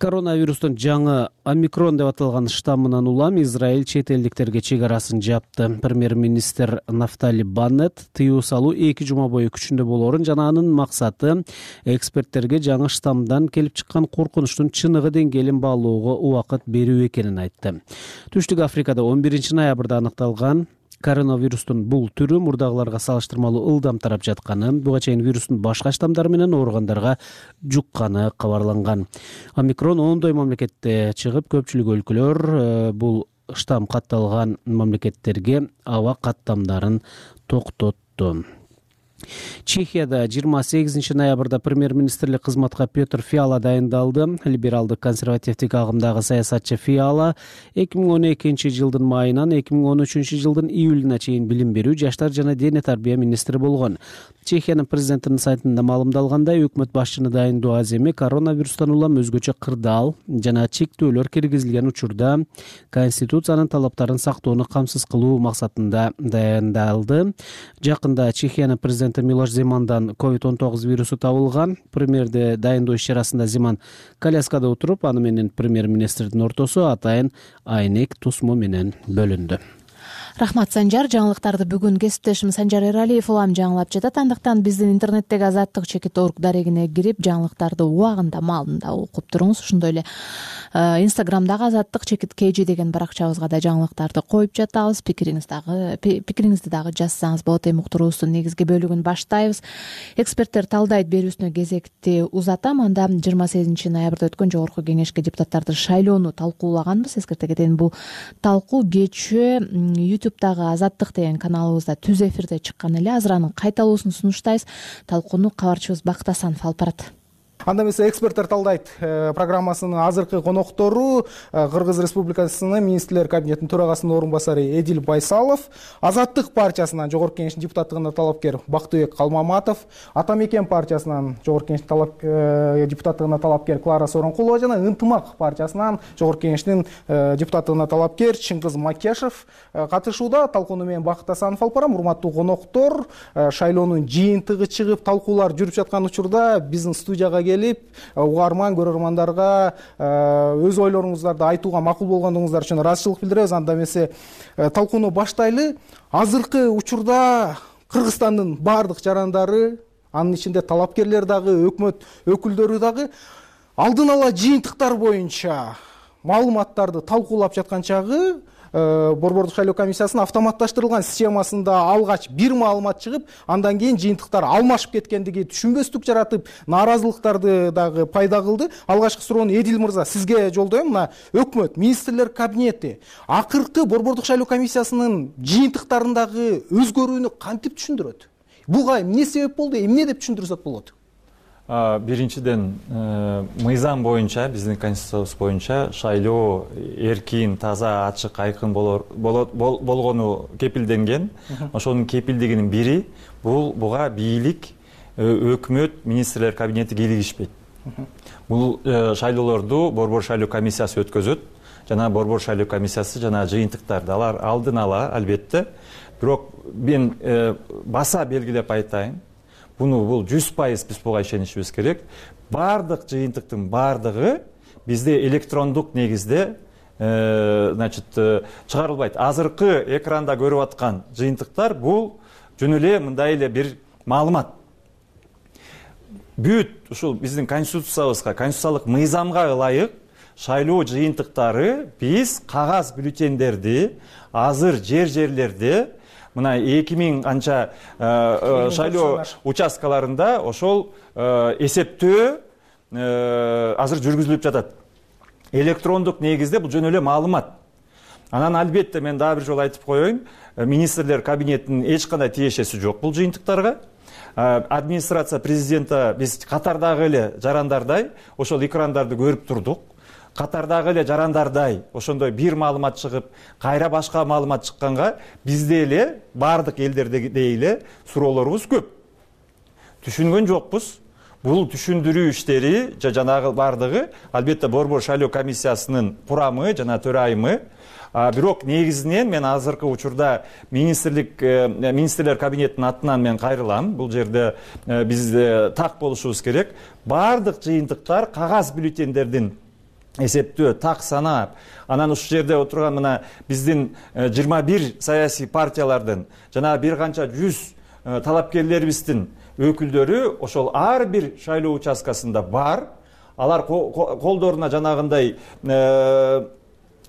Коронавирустун жаңы омикрон деп аталган штаммынан улам Израиль чет элдиктерге чек арасын жапты. Премьер-министр Нафтали Баннет тыюу салуу 2 жума бою күчүндө болоорун жана анын максаты эксперттерге жаңы штаммдан келип чыккан коркунучтун чыныгы деңгээлин баалоого убакыт берүү экенин айтты. Түштүк Африкада 11 ноябрда аныкталган коронавирустун бул түрү мурдагыларга салыштырмалуу ылдам тарап жатканы, буга чейин вирустун башка штамдары менен ооругандарга жукканы кабарланган. Омикрон ондой мамлекетте чыгып, көпчүлүк өлкөлөр бул штамм катталган мамлекеттерге аба каттамдарын токтотту. Чехияда 28 ноябрда премьер-министрлик кызматка Петр Фиала дайындалды. Либералдык консервативдик агымдагы саясатчы Фиала 2012 жылдын майынан 2013 жылдын июлуна чейин билим берүү, жаштар жана дене тарбия министри болгон. Чехиянын президентинин сайтында маалымдалгандай, өкмөт башчыны дайындоо аз эми коронавирустан улам өзгөчө кырдаал жана чектөөлөр киргизилген учурда конституциянын талаптарын сактоону камсыз кылуу максатында дайындалды. Жакында Чехиянын президенти президенти Милош Земандан COVID-19 вирусу табылган. Премьерди дайындоо иш-чарасында Земан коляскада отуруп, аны менен премьер-министрдин ортосу атайын Айнек Тусму менен бөлүндү. Рахмат, Санжар. Жаңылыктарды бүгүн кесиптешим Санжар Эралиев улам жаңылап жатат. Андыктан биздин интернеттеги azattik.org дарегине кирип, жаңылыктарды убагында, маалында окуп туруңуз. Ошондой эле Инстаграмдагы azattik.kg деген баракчабызга да жаңылыктарды коюп жатабыз. Пикириңизди дагы жазсаңыз болот. Эми уктуруубуздун негизги бөлүгүн баштайбыз. Эксперттер талдайт берүүсүнө кезекти узатам. Анда 28 ноябрда өткөн жогорку кеңешке депутаттарды шайлоону талкуулаганбыз. Эскерте кетейин, бул талкуу кечээ YouTube'дагы Азаттык деген каналыбызда түз эфирде чыккан эле. Азыр анын кайталуусун сунуштайбыз. Талкууну кабарчыбыз Бакыт Асанов алып барат. Анда эмесе эксперттер талдайт программасынын азыркы коноктору Кыргыз Республикасынын министрлер кабинетинин төрагасынын орун басары Эдил Байсалов, Азаттык партиясынан жогорку кеңештин депутаттыгына талапкер Бактыбек Калмаматов, Ата Мекен партиясынан жогорку кеңештин депутаттыгына талапкер Клара Сооронкулова жана Ынтымак партиясынан жогорку кеңештин депутаттыгына талапкер Чыңгыз Макешев катышууда. Талкууну мен Бакыт Асанов алып барам. Урматтуу коноктор, шайлоонун жыйынтыгы чыгып, талкуулар жүрүп жаткан учурда биздин студияга келип, угарман көрөрмандарга өз ойлоруңуздарды айтууга макул болгондугуңуздар үчүн ыраазычылык билдиребиз. Анда эмесе талкууну баштайлы. Азыркы учурда Кыргызстандын баардык жарандары, анын ичинде талапкерлер дагы, өкмөт өкүлдөрү дагы алдын ала жыйынтыктар боюнча маалыматтарды талкуулап жаткан чагы Борбордук шайлоо комиссиясынын автоматташтырылган системасында алгач бир маалымат чыгып, андан кийин жыйынтыктар алмашып кеткендиги түшүнбөстүк жаратып, нааразылыктарды дагы пайда кылды. Алгачкы суроону Эдил мырза сизге жолдойм. Мына өкмөт, министрлер кабинети акыркы Борбордук шайлоо комиссиясынын жыйынтыктарындагы өзгөрүүнү кантип түшүндүрөт? Буга эмне себеп болду? Эмне деп түшүндүрсөк болот? Биринчиден, мыйзам боюнча, биздин конституциябыз боюнча шайлоо эркин, таза, ачык, айкын болгону кепилденген. Ошонун кепилдигинин бири буга бийлик, өкмөт, министрлер кабинети кийлигишпейт. Бул шайлоолорду Борбор шайлоо комиссиясы өткөзөт. Жана Борбор шайлоо комиссиясы жана жыйынтыктарды алар алдын ала, албетте. Бирок мен баса белгилеп айтайын. Бул 100% биз буга ишенишибиз керек. Бардык жыйынтыктын бардыгы бизде электрондук негизде чыгарылбайт. Азыркы экранда көрүп аткан жыйынтыктар бул жөн эле мындай эле бир маалымат. Бүт ушул биздин конституциябызга, конституциялык мыйзамга ылайык шайлоо жыйынтыктары биз кагаз бюллетендерди азыр жерлерде мына 2000 канча шайлоо участкаларында ошол эсептөө азыр жүргүзүлүп жатат. Электрондук негизде бул жөн эле маалымат. Анан албетте мен дагы бир жолу айтып коеюн, министрлер кабинетинин эч кандай тиешеси жок бул жыйынтыктарга. Администрация президента биз катардагы эле жарандардай ошол экрандарды көрүп турдук. Катардагы эле жарандардай ошондой бир маалымат чыгып, кайра башка маалымат чыкканга бизде эле бардык элдердегидей эле суроолорубуз көп. Түшүнгөн жокпуз. Бул түшүндүрүү иштери жанагы бардыгы албетте Борбор шайлоо комиссиясынын курамы жана төрайымы. Бирок негизинен мен азыркы учурда министрлер кабинетинин атынан мен кайрылам. Бул жерде биз так болушубуз керек. Бардык жыйынтыктар кагаз бюллетендердин эсептөө, так санап, анан ушул жерде отурган мына биздин 21 саясий партиялардын жана бир канча 100 талапкерлерибиздин өкүлдөрү ошол ар бир шайлоо участкасында бар. Алар колдоруна жанагындай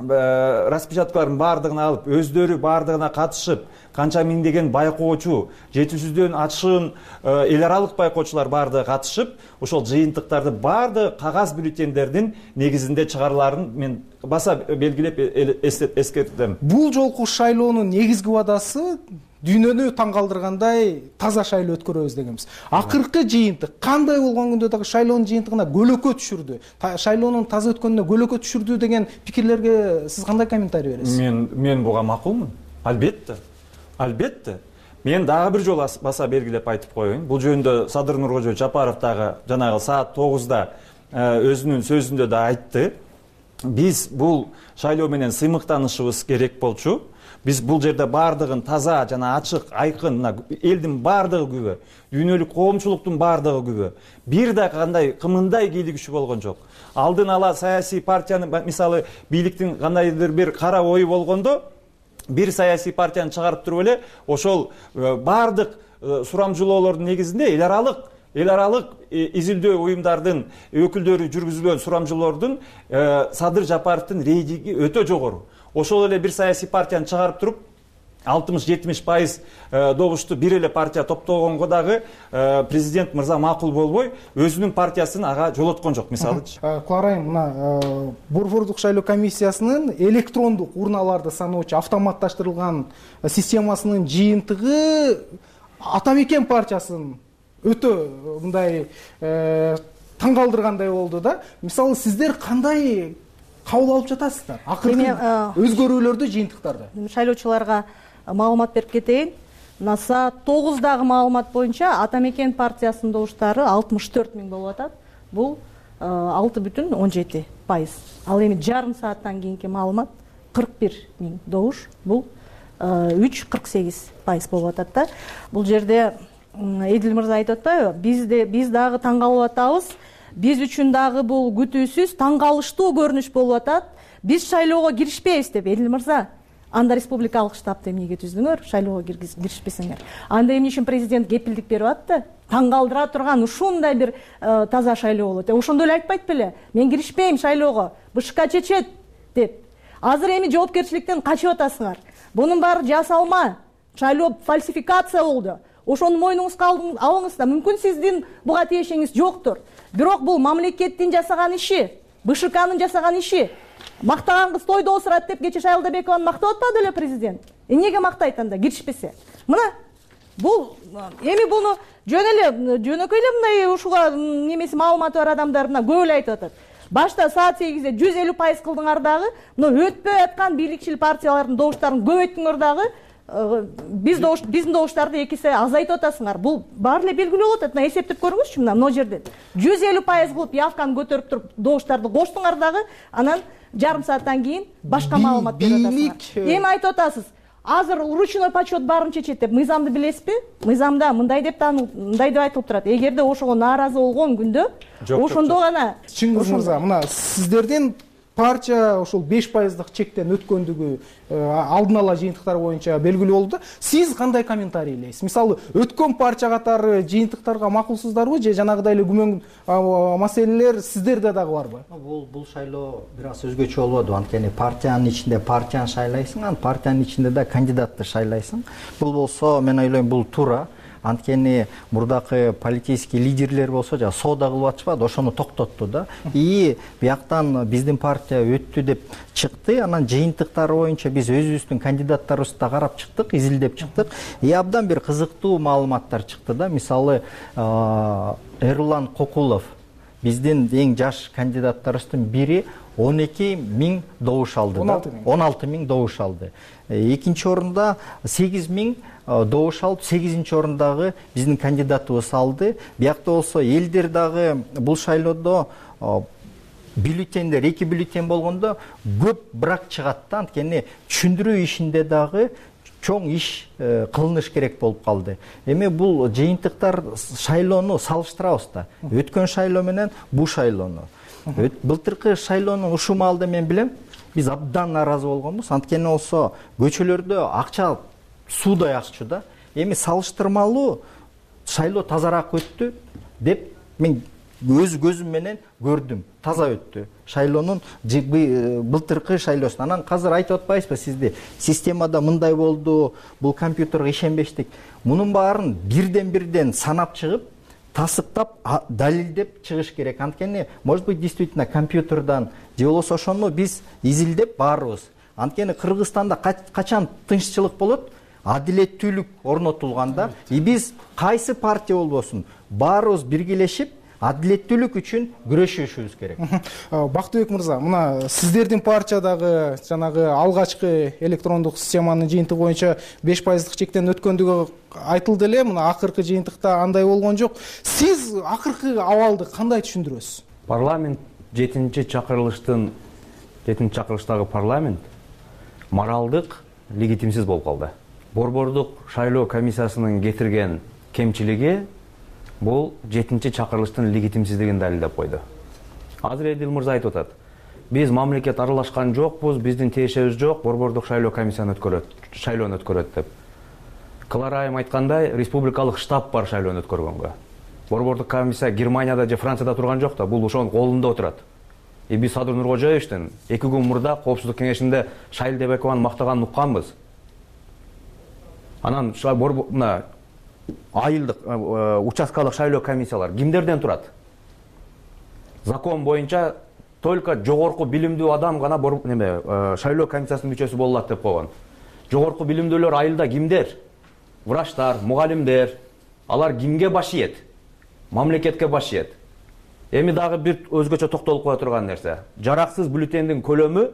распечаткалардын бардыгын алып, өздөрү бардыгына катышып, канча миңдеген байкоочу, 700дөн ашыгын эл аралык байкоочулар бардыгы катышып, ошол жыйынтыктарды бардыгы кагаз бюллетендердин негизинде чыгарыларын мен баса белгилеп эскертем. Бул жолку шайлоонун негизги убадасы дүйнөнү таң калтыргандай таза шайлоо өткөрөбүз дегенбиз. Акыркы жыйынтык кандай болгон күндө дагы шайлоонун жыйынтыгына көлөкө түшүрдү. Шайлоонун таза өткөнүнө көлөкө түшүрдү деген пикирлерге сиз кандай комментарий бересиз? Мен буга макулмун. Албетте. Мен дагы бир жолу баса белгилеп айтып коеюн. Бул жөнүндө Садыр Нуркожо Жапаров дагы жанагы саат 9да өзүнүн сөзүндө да айтты. Биз бул шайлоо менен сыймыктанышыбыз керек болчу. Биз бул жерде баардыгын таза жана ачык, айкын, мына элдин баардыгы күбө, дүйнөлүк коомчулуктун баардыгы күбө. Бир да кандай кымындай кийлигишүү болгон жок. Алдын ала саясий партиянын, мисалы, бийликтин кандайдыр бир кара ою болгондо, бир саясий партияны чыгарып туруп эле ошол баардык сурамжылоолордун негизинде эл аралык изилдөө уюмдардын өкүлдөрү жүргүзүлгөн сурамжылоордун Садыр Жапаровдун рейтинги өтө жогору. Ошол эле бир саясий партияны чыгарып туруп 60-70% добушту бир эле партия топтогонго дагы президент мырза макул болбой, өзүнүн партиясын ага жолоткон жок, мисалычы. Куарайым, мына борбордук шайлоо комиссиясынын электрондук урналарды саноочу автоматташтырылган системасынын жыйынтыгы Атамекен партиясын өтө мындай таң калтыргандай болду да. Мисалы, сиздер кандай кабыл алып жатасыздар? Акыркы өзгөрүүлөрдү, жыйынтыктарды. Шайлоочуларга маалымат берип кетейин. Мына саат 9-дагы маалымат боюнча Атамекен партиясынын добуштары 64 миң болуп атат. Бул 6,17%. Ал эми жарым сааттан кийинки маалымат 41 миң добуш. Бул 3,48% болуп атат да. Бул жерде Эдил мырза айтып атпайбы? Биз дагы таң калып атабыз. Биз үчүн дагы бул күтүүсүз, таң калыштуу көрүнүш болуп атат. Биз шайлоого киришпейбиз деп, Эдил мырза, анда республикалык штабты эмнеге түздүңөр? Шайлоого киришпесеңер. Анда эмне үчүн президент кепилдик берип атты? Таң калтыра турган ушундай бир таза шайлоо болот. Ошондо эле айтпайт беле? Мен киришпейм шайлоого, БШК чечет деп. Азыр эми жоопкерчиликтен качып атасыңар. Бунун баары жасалма. Шайлоо фальсификация болду. Ошону мойнуңузга алыңыз да, мүмкүн сиздин буга тиешеңиз жоктур. Бирок бул мамлекеттин жасаган иши, БШКнын жасаган иши. Мактаган кыз тойдо осурат деп кече Шайлдабекованы мактап атпады эле президент. Эмнеге мактайт анда киришпесе? Мына бул эми буну жөнөкөй эле мындай ушуга немеси маалыматы бар адамдар мына көп эле айтып атат. Башта саат 8-де 150% кылдыңар дагы, мына өтпөй аткан бийликчил партиялардын добуштарын көбөйттүңөр дагы, биздин добуштарды 2 эсе азайтып атасыңар. Бул баары эле белгилүү болот. Мына эсептеп көрүңүзчү, мына жерден 150% кылып явканы көтөрүп туруп добуштарды коштуңар дагы, анан жарым сааттан кийин башка маалымат берип атасыңар. Эми айтып атасыз, азыр ручной подсчет баарын чечет деп. Мыйзамды билесизби? Мыйзамда мындай деп айтылып турат. Эгерде ошого нааразы болгон күндө, ошондо гана. Чыңгыз мырза, мына сиздердин партия ошол 5%дык чектен өткөндүгү алдын ала жыйынтыктар боюнча белгилүү болду. Сиз кандай комментарийлейсиз? Мисалы, өткөн партия катары жыйынтыктарга макулсуздарбы же жанагыдай эле күмөн маселелер сиздерде дагы барбы? Бул шайлоо бир аз өзгөчө болбоду. Анткени партиянын ичинде партияны шайлайсың, анан партиянын ичинде да кандидатты шайлайсың. Бул болсо, мен ойлойм, бул туура. Анткени мурдакы политический лидерлер болсо жа соода кылып атышпады, ошону токтотту да. И бияктан биздин партия өттү деп чыкты, анан жыйынтыктары боюнча биз өзүбүздүн кандидаттарыбызды да карап чыктык, изилдеп чыктык. Абдан бир кызыктуу маалыматтар чыкты да. Мисалы, Эрлан Кокулов, биздин эң жаш кандидаттарыбыздын бири 12 миң добуш алды. 16 миң добуш алды. Экинчи орунда 8 миң добуш алып, 8-чи орундагы биздин кандидатыбыз алды. Биякта болсо элдер дагы бул шайлоодо бюллетендер, 2 бюллетен болгондо көп брак чыгат да. Анткени түшүндүрүү ишинде дагы чоң иш кылыныш керек болуп калды. Эми бул жыйынтыктар шайлоону салыштырабыз да. Өткөн шайлоо менен бул шайлоону. Былтыркы шайлоонун ушул маалда мен билем, биз абдан нааразы болгонбуз. Анткени болсо көчөлөрдө акча суудай акчу да. Эми салыштырмалуу шайлоо тазараак өттү деп мен өз көзүм менен көрдүм. Таза өттү. Шайлоонун былтыркы шайлоосун. Анан азыр айтып атпайсызбы сизди? Системада мындай болду, бул компьютерге ишенбештик. Мунун баарын бирден санап чыгып, тасыктап, далилдеп чыгыш керек. Анткени, может быть, действительно компьютердан же болбосо ошону биз изилдеп баарыбыз. Анткени Кыргызстанда качан тынччылык болот? Адилеттүүлүк орнотулганда, биз кайсы партия болбосун, баарыбыз биргелешип, адилеттүүлүк үчүн күрөшүшүбүз керек. Бактыбек мырза, мына сиздердин партиядагы жанагы алгачкы электрондук системанын жыйынтыгы боюнча 5%дык чектен өткөндүгү айтылды эле, мына акыркы жыйынтыкта андай болгон жок. Сиз акыркы абалды кандай түшүндүрөсүз? Парламент 7-чакырылыштагы парламент моралдык легитимсиз болуп калды. Борбордук шайлоо комиссиясынын кетирген кемчилиги бул 7-чакырылыштын легитимсиздигин далилдеп койду. Азыр Эдил мырза айтып атат. Биз мамлекет аралашкан жокпуз, биздин тиешебиз жок, борбордук шайлоо комиссияны шайлоону өткөрөт деп. Клара айым айткандай, республикалык штаб бар шайлоону өткөргөнгө. Борбордук комиссия Германияда же Францияда турган жок да, бул ошонун колунда отурат. Биз Садыр Нуркожоевичтин 2 күн мурда Коопсуздук кеңешинде Шайль Дебекованы мактаганын укканбыз. Анан мына айылдык участкалык шайлоо комиссиялар кимдерден турат? Закон боюнча только жогорку билимдүү адам гана шайлоо комиссиясынын мүчөсү боло алат деп койгон. Жогорку билимдүүлөр айылда кимдер? Врачтар, мугалимдер. Алар кимге баш ийет? Мамлекетке баш ийет. Эми дагы бир өзгөчө токтолуп кое турган нерсе. Жараксыз бюллетендин көлөмү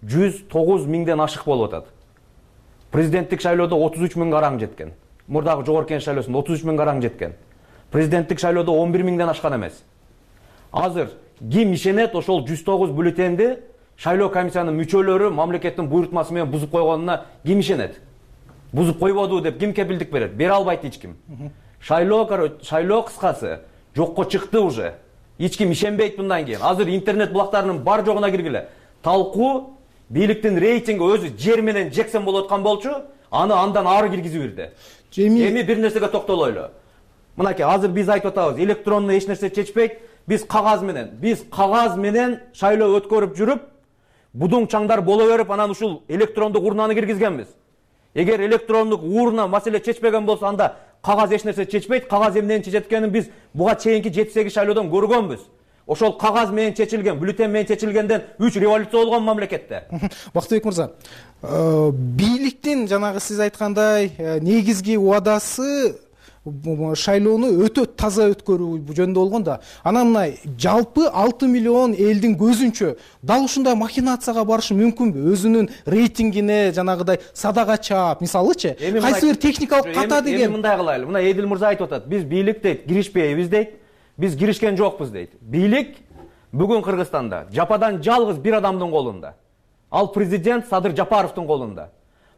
109 миңден ашык болуп атат. Президенттик шайлоодо 33 миң караң жеткен. Мурдагы жогорку кеңеш шайлоосунда 33 миң караң жеткен. Президенттик шайлоодо 11 миңден ашкан эмес. Азыр ким ишенет ошол 109 бюллетенди шайлоо комиссиянын мүчөлөрү мамлекеттин буйрутмасы менен бузуп койгонуна ким ишенет? Бузуп койбоду деп ким кепилдик берет? Бере албайт эч ким. Шайлоо кыскасы жокко чыкты уже. Эч ким ишенбейт мындан кийин. Азыр интернет булактарынын бар жогуна киргиле. Талкуу бийликтин рейтинги өзү жер менен жексен болуп аткан болчу, аны андан ары киргизип бирди. Эми бир нерсеге токтолойлу. Мынакей азыр биз айтып атабыз, электронно эч нерсе чечпейт. Биз кагаз менен шайлоо өткөрүп жүрүп, будуң чаңдар боло берип, анан ушул электрондук урнаны киргизгенбиз. Эгер электрондук урна маселе чечпеген болсо, анда кагаз эч нерсе чечпейт. Кагаз эмнени чечет экенин биз буга чейинки 7-8 шайлоодон көргөнбүз. Ошол кагаз менен чечилген, бюллетен менен чечилгенден 3 революция болгон мамлекетте. Бактыбек мырза, бийликтин жанагы сиз айткандай негизги убадасы шайлоону өтө таза өткөрүү жөнүндө болгон да. Анан мына жалпы 6 миллион элдин көзүнчө дал ушундай махинацияга барышы мүмкүнбү? Өзүнүн рейтингине жанагыдай садага чаап, мисалычы, кайсы бир техникалык ката деген. Эми мындай кылайлы. Мына Эдил мырза айтып атат. Биз бийлик дейт, киришпейбиз дейт. Биз киришкен жокпуз дейт. Бийлик бүгүн Кыргызстанда жападан жалгыз бир адамдын колунда. Ал президент Садыр Жапаровдун колунда.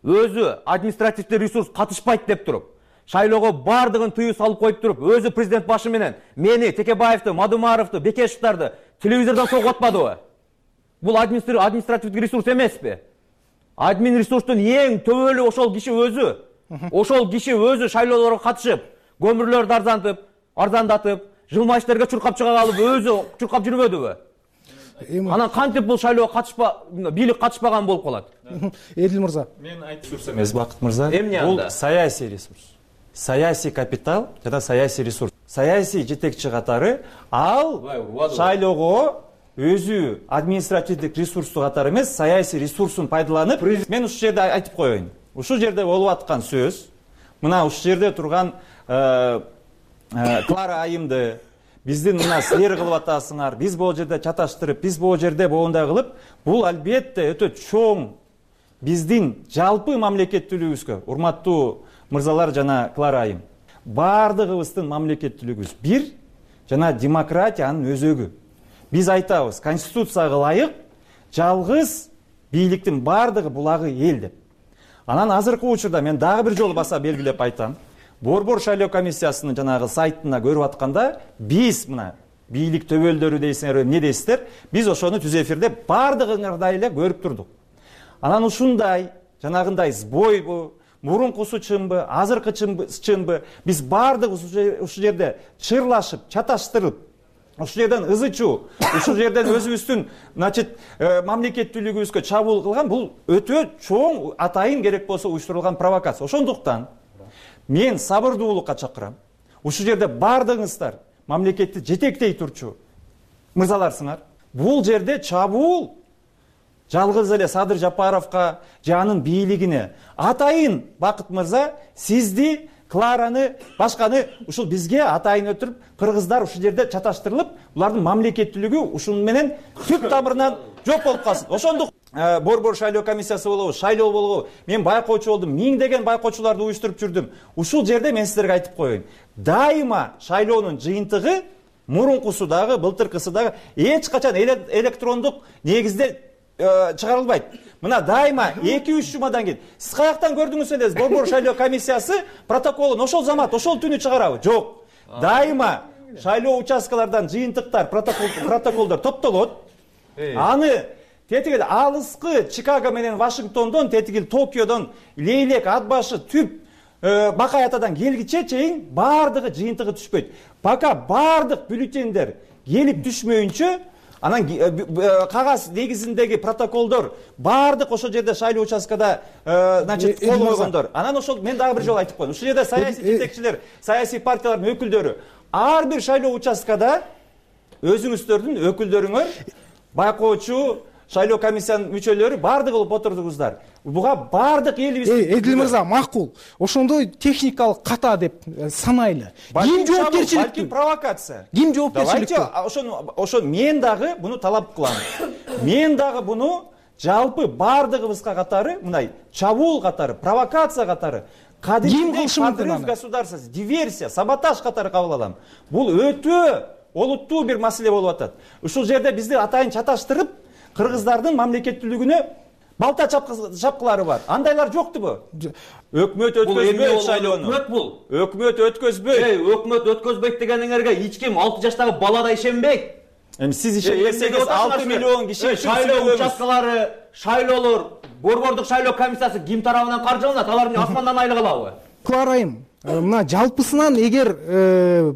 Өзү административдик ресурс катышпайт деп туруп, шайлоого бардыгын тыюу салып коюп туруп, өзү президент башы менен мени, Текебаевди, Мадумаровду, Бекешевдарды телевизордон согуп атпадыбы? Бул административдик ресурс эмеспи? Админ ресурстун эң төбөлү ошол киши өзү. Ошол киши өзү шайлоолорго катышып, көмүрлөрдү арзандатып, жылмайыштерге чуркап чыга калып, өзү чуркап жүрбөдүбү? Анан кантип бул шайлоого бийлик катышпаган болуп калат? Эдил мырза. Мен айтып турсам эмес, Бакыт мырза. Бул саясий ресурс. Саясий капитал жана саясий ресурс. Саясий жетекчи катары ал шайлоого өзү административдик ресурсту катары эмес, саясий ресурсун пайдаланып, мен ушул жерде айтып коеюн. Ушул жерде болуп аткан сөз, мына ушул жерде турган Клара айымды биздин мына силер кылып атасыңар, биз бул жерде чаташтырып, биз бул жерде боундай кылып, бул албетте өтө чоң биздин жалпы мамлекеттүүлүгүбүзгө, урматтуу мырзалар жана Клара айым, бардыгыбыздын мамлекеттүүлүгүбүз бир жана демократиянын өзөгү. Биз айтабыз, конституцияга ылайык жалгыз бийликтин бардыгы булагы эл деп. Анан азыркы учурда мен дагы бир жолу баса белгилеп айтам. Борбор шайлоо комиссиясынын жанагы сайтына көрүп атканда, биз мына бийлик төбөлдөрү дейсиңер, эмне дейсиздер, биз ошону түз эфирде бардыгыңардай эле көрүп турдук. Анан ушундай жанагындай сбойбу, мурункусу чынбы, азыркы чынбы, биз бардык ушул жерде чырлашып, чаташтырып, ушул жерден ызычуу, ушул жерден өзүбүздүн, мамлекеттүүлүгүбүзгө чабуул кылган бул өтө чоң атайын керек болсо уюштурулган провокация. Ошондуктан мен сабырдуулукка чакырам. Ушул жерде бардыгыңыздар мамлекетти жетектей турчу мырзаларсыңар. Бул жерде чабуул жалгыз эле Садыр Жапаровго же анын бийлигине атайын Бакыт мырза, сизди, Клараны, башканы ушул бизге атайын өтүрүп, кыргыздар ушул жерде чаташтырылып, булардын мамлекеттүүлүгү ушун менен түп тамырынан жок болуп калсын. Ошондук борбор шайлоо комиссиясы болобу, шайлоо болобу, мен байкоочу болдум, миңдеген байкоочуларды уюштуруп жүрдүм. Ушул жерде мен сиздерге айтып коеюн. Дайыма шайлоонун жыйынтыгы мурункусу дагы, былтыркысы дагы эч качан электрондук негизде чыгарылбайт. Мына дайыма 2-3 жумадан кийин сиз каяктан көрдүңүз эле борбор шайлоо комиссиясы протоколун ошол замат ошол түнү чыгарабы? Жок. Дайыма шайлоо участкалардан жыйынтыктар, протоколдор топтолот. Аны тетиги алыскы Чикаго менен Вашингтондон, тетиги Токиодон, Лейлек, Ат башы, Түп, Бакай Атадан келгиче чейин бардыгы жыйынтыгы түшпөйт. Пока бардык бюллетендер келип түшмөйүнчө, анан кагаз негизиндеги протоколдор бардык ошол жерде шайлоо участкада значит кол койгондор. Анан ошол мен дагы бир жолу айтып коем. Ушул жерде саясий жетекчилер, саясий партиялардын өкүлдөрү ар бир шайлоо участкада өзүңүздөрдүн өкүлдөрүңөр, байкоочу, шайлоо комиссиянын мүчөлөрү бардыгы болуп отурдуңуздар. Буга бардык элибиз. Эдил мырза, макул. Ошондой техникалык ката деп санайлы. Ким жоопкерчиликтүү? Балким провокация. Ким жоопкерчиликтүү? Давайте ошону мен дагы буну талап кылам. Мен дагы буну жалпы бардыгыбызга катары, мындай чабуул катары, провокация катары, кадимдей подрыв государства, диверсия, саботаж катары кабыл алам. Бул өтө олуттуу бир маселе болуп атат. Ушул жерде бизди атайын чаташтырып, кыргыздардын мамлекеттүүлүгүнө балта чапкылары бар. Андайлар жоктубу? Өкмөт өткөзбөйт шайлоону. Өкмөт бул. Өкмөт өткөзбөйт. Өкмөт өткөзбөйт дегениңерге эч ким 6 жаштагы бала да ишенбейт. Эми сиз ишенбесеңиз 6 миллион киши шайлоо участкалары, шайлоолор, борбордук шайлоо комиссиясы ким тарабынан каржыланат? Алардын асмандан айлык алабы? Кларайым, мына жалпысынан эгер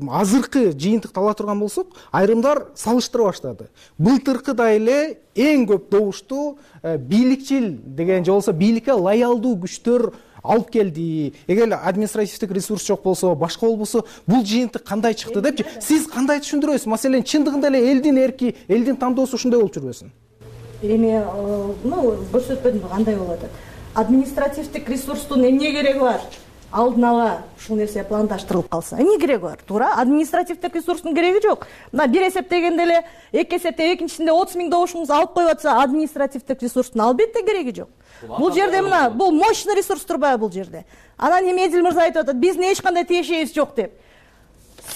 азыркы жыйынтыкты ала турган болсок, айрымдар салыштыра баштады. Былтыркыда эле эң көп добушту бийликчил деген же болбосо бийликке лоялдуу күчтөр алып келди. Эгер административдик ресурс жок болсо, башка болбосо, бул жыйынтык кандай чыкты депчи, сиз кандай түшүндүрөсүз? Маселен, чындыгында эле элдин эрки, элдин тандоосу ушундай болуп жүрбөсүн? Эми, көрсөтпөдүм кандай болуп атат. Административдик ресурстун эмне кереги бар? Алдын ала ушул нерсе пландаштырылып калса, эмне кереги бар? Туура, административдик ресурстун кереги жок. Мына бир эсептегенде эле, эки эсептеп экинчисинде 30 000 добушуңуз алып коюп атса, административдик ресурстун албетте кереги жок. Бул жерде мына, бул мощный ресурс турбайбы бул жерде? Анан эми Эдил мырза айтып атат, биздин эч кандай тиешебиз жок деп.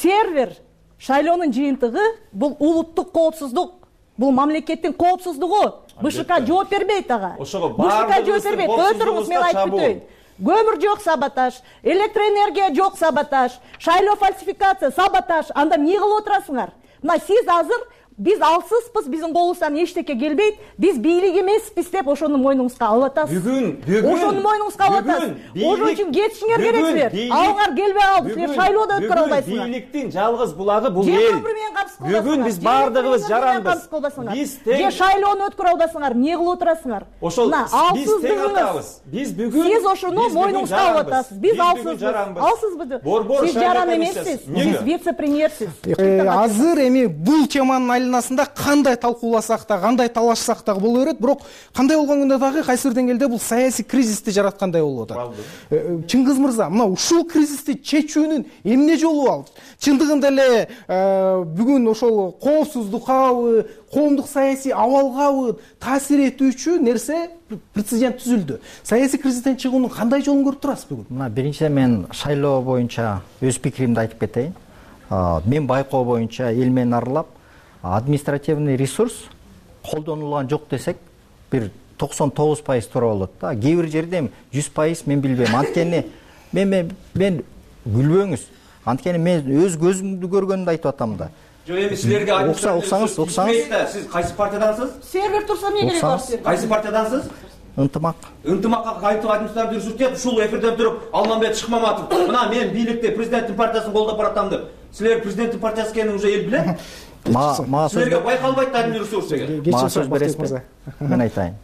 Сервер шайлоонун жыйынтыгы бул улуттук коопсуздук, бул мамлекеттин коопсуздугу. БШК жооп бербейт ага. БШК жооп бербейт. Өтүрүңүз, мен айтып бүтөйүн. Көмүр жок, саботаж, электроэнергия жок, саботаж, шайлоо фальсификация, саботаж. Анда эмне кылып отурасыңар? Мына сиз азыр биз алсызбыз, биздин колубуздан эчтеке келбейт, биз бийлик эмеспиз деп ошону мойнуңузга алып атасыз. Бүгүн ошону мойнуңузга алып атасыз. Ошон үчүн кетишиңер керек силер. Алыңар келбей алды, силер шайлоодо өткөрө албайсыңар. Бийликтин жалгыз булагы бул эл. Бүгүн биз бардыгыбыз жаранбыз. Биз тең шайлоону өткөрө албасыңар, эмне кылып отурасыңар? Ошол биз тең атабыз. Биз бүгүн сиз ошону мойнуңузга алып атасыз. Биз алсызбыз. Сиз жаран эмессиз. Сиз вице-премьерсиз. Азыр эми бул теманын айланасында кандай талкууласак да, кандай талашсак да боло берет, бирок кандай болгондо дагы кайсы бир деңгээлде бул саясий кризисти жараткандай болуп атат. Чыңгыз мырза, мына ушул кризисти чечүүнүн эмне жолу бар? Чындыгында эле бүгүн ошол коопсуздуккабы, коомдук саясий абалгабы таасир этүүчү нерсе прецедент түзүлдү. Саясий кризистен чыгуунун кандай жолун көрүп турасыз бүгүн? Мына биринчиден мен шайлоо боюнча өз пикиримди айтып кетейин. Мен байкоо боюнча эл менен аралап, административный ресурс колдонулган жок десек, бир 99% туура болот да. Кээ бир жерде 100% мен билбейм. Анткени мен күлбөңүз. Анткени мен өз көзүмдү көргөндү айтып атам да. Жок, эми силерге оксаңыз. Сиз кайсы партиядансыз? Сервер турса эмне керек бар? Кайсы партиядансыз? Ынтымак. Ынтымакка кайтып административдик ресурс деп ушул эфирден туруп Алмамбет Шыкмаматов, мына мен бийликте президенттин партиясын колдоп баратам деп. Силер президенттин партиясы экенин уже эл билет. Силерге байкалбайт да административдик ресурс деген. Мага сөз бересизби? Мен айтайын.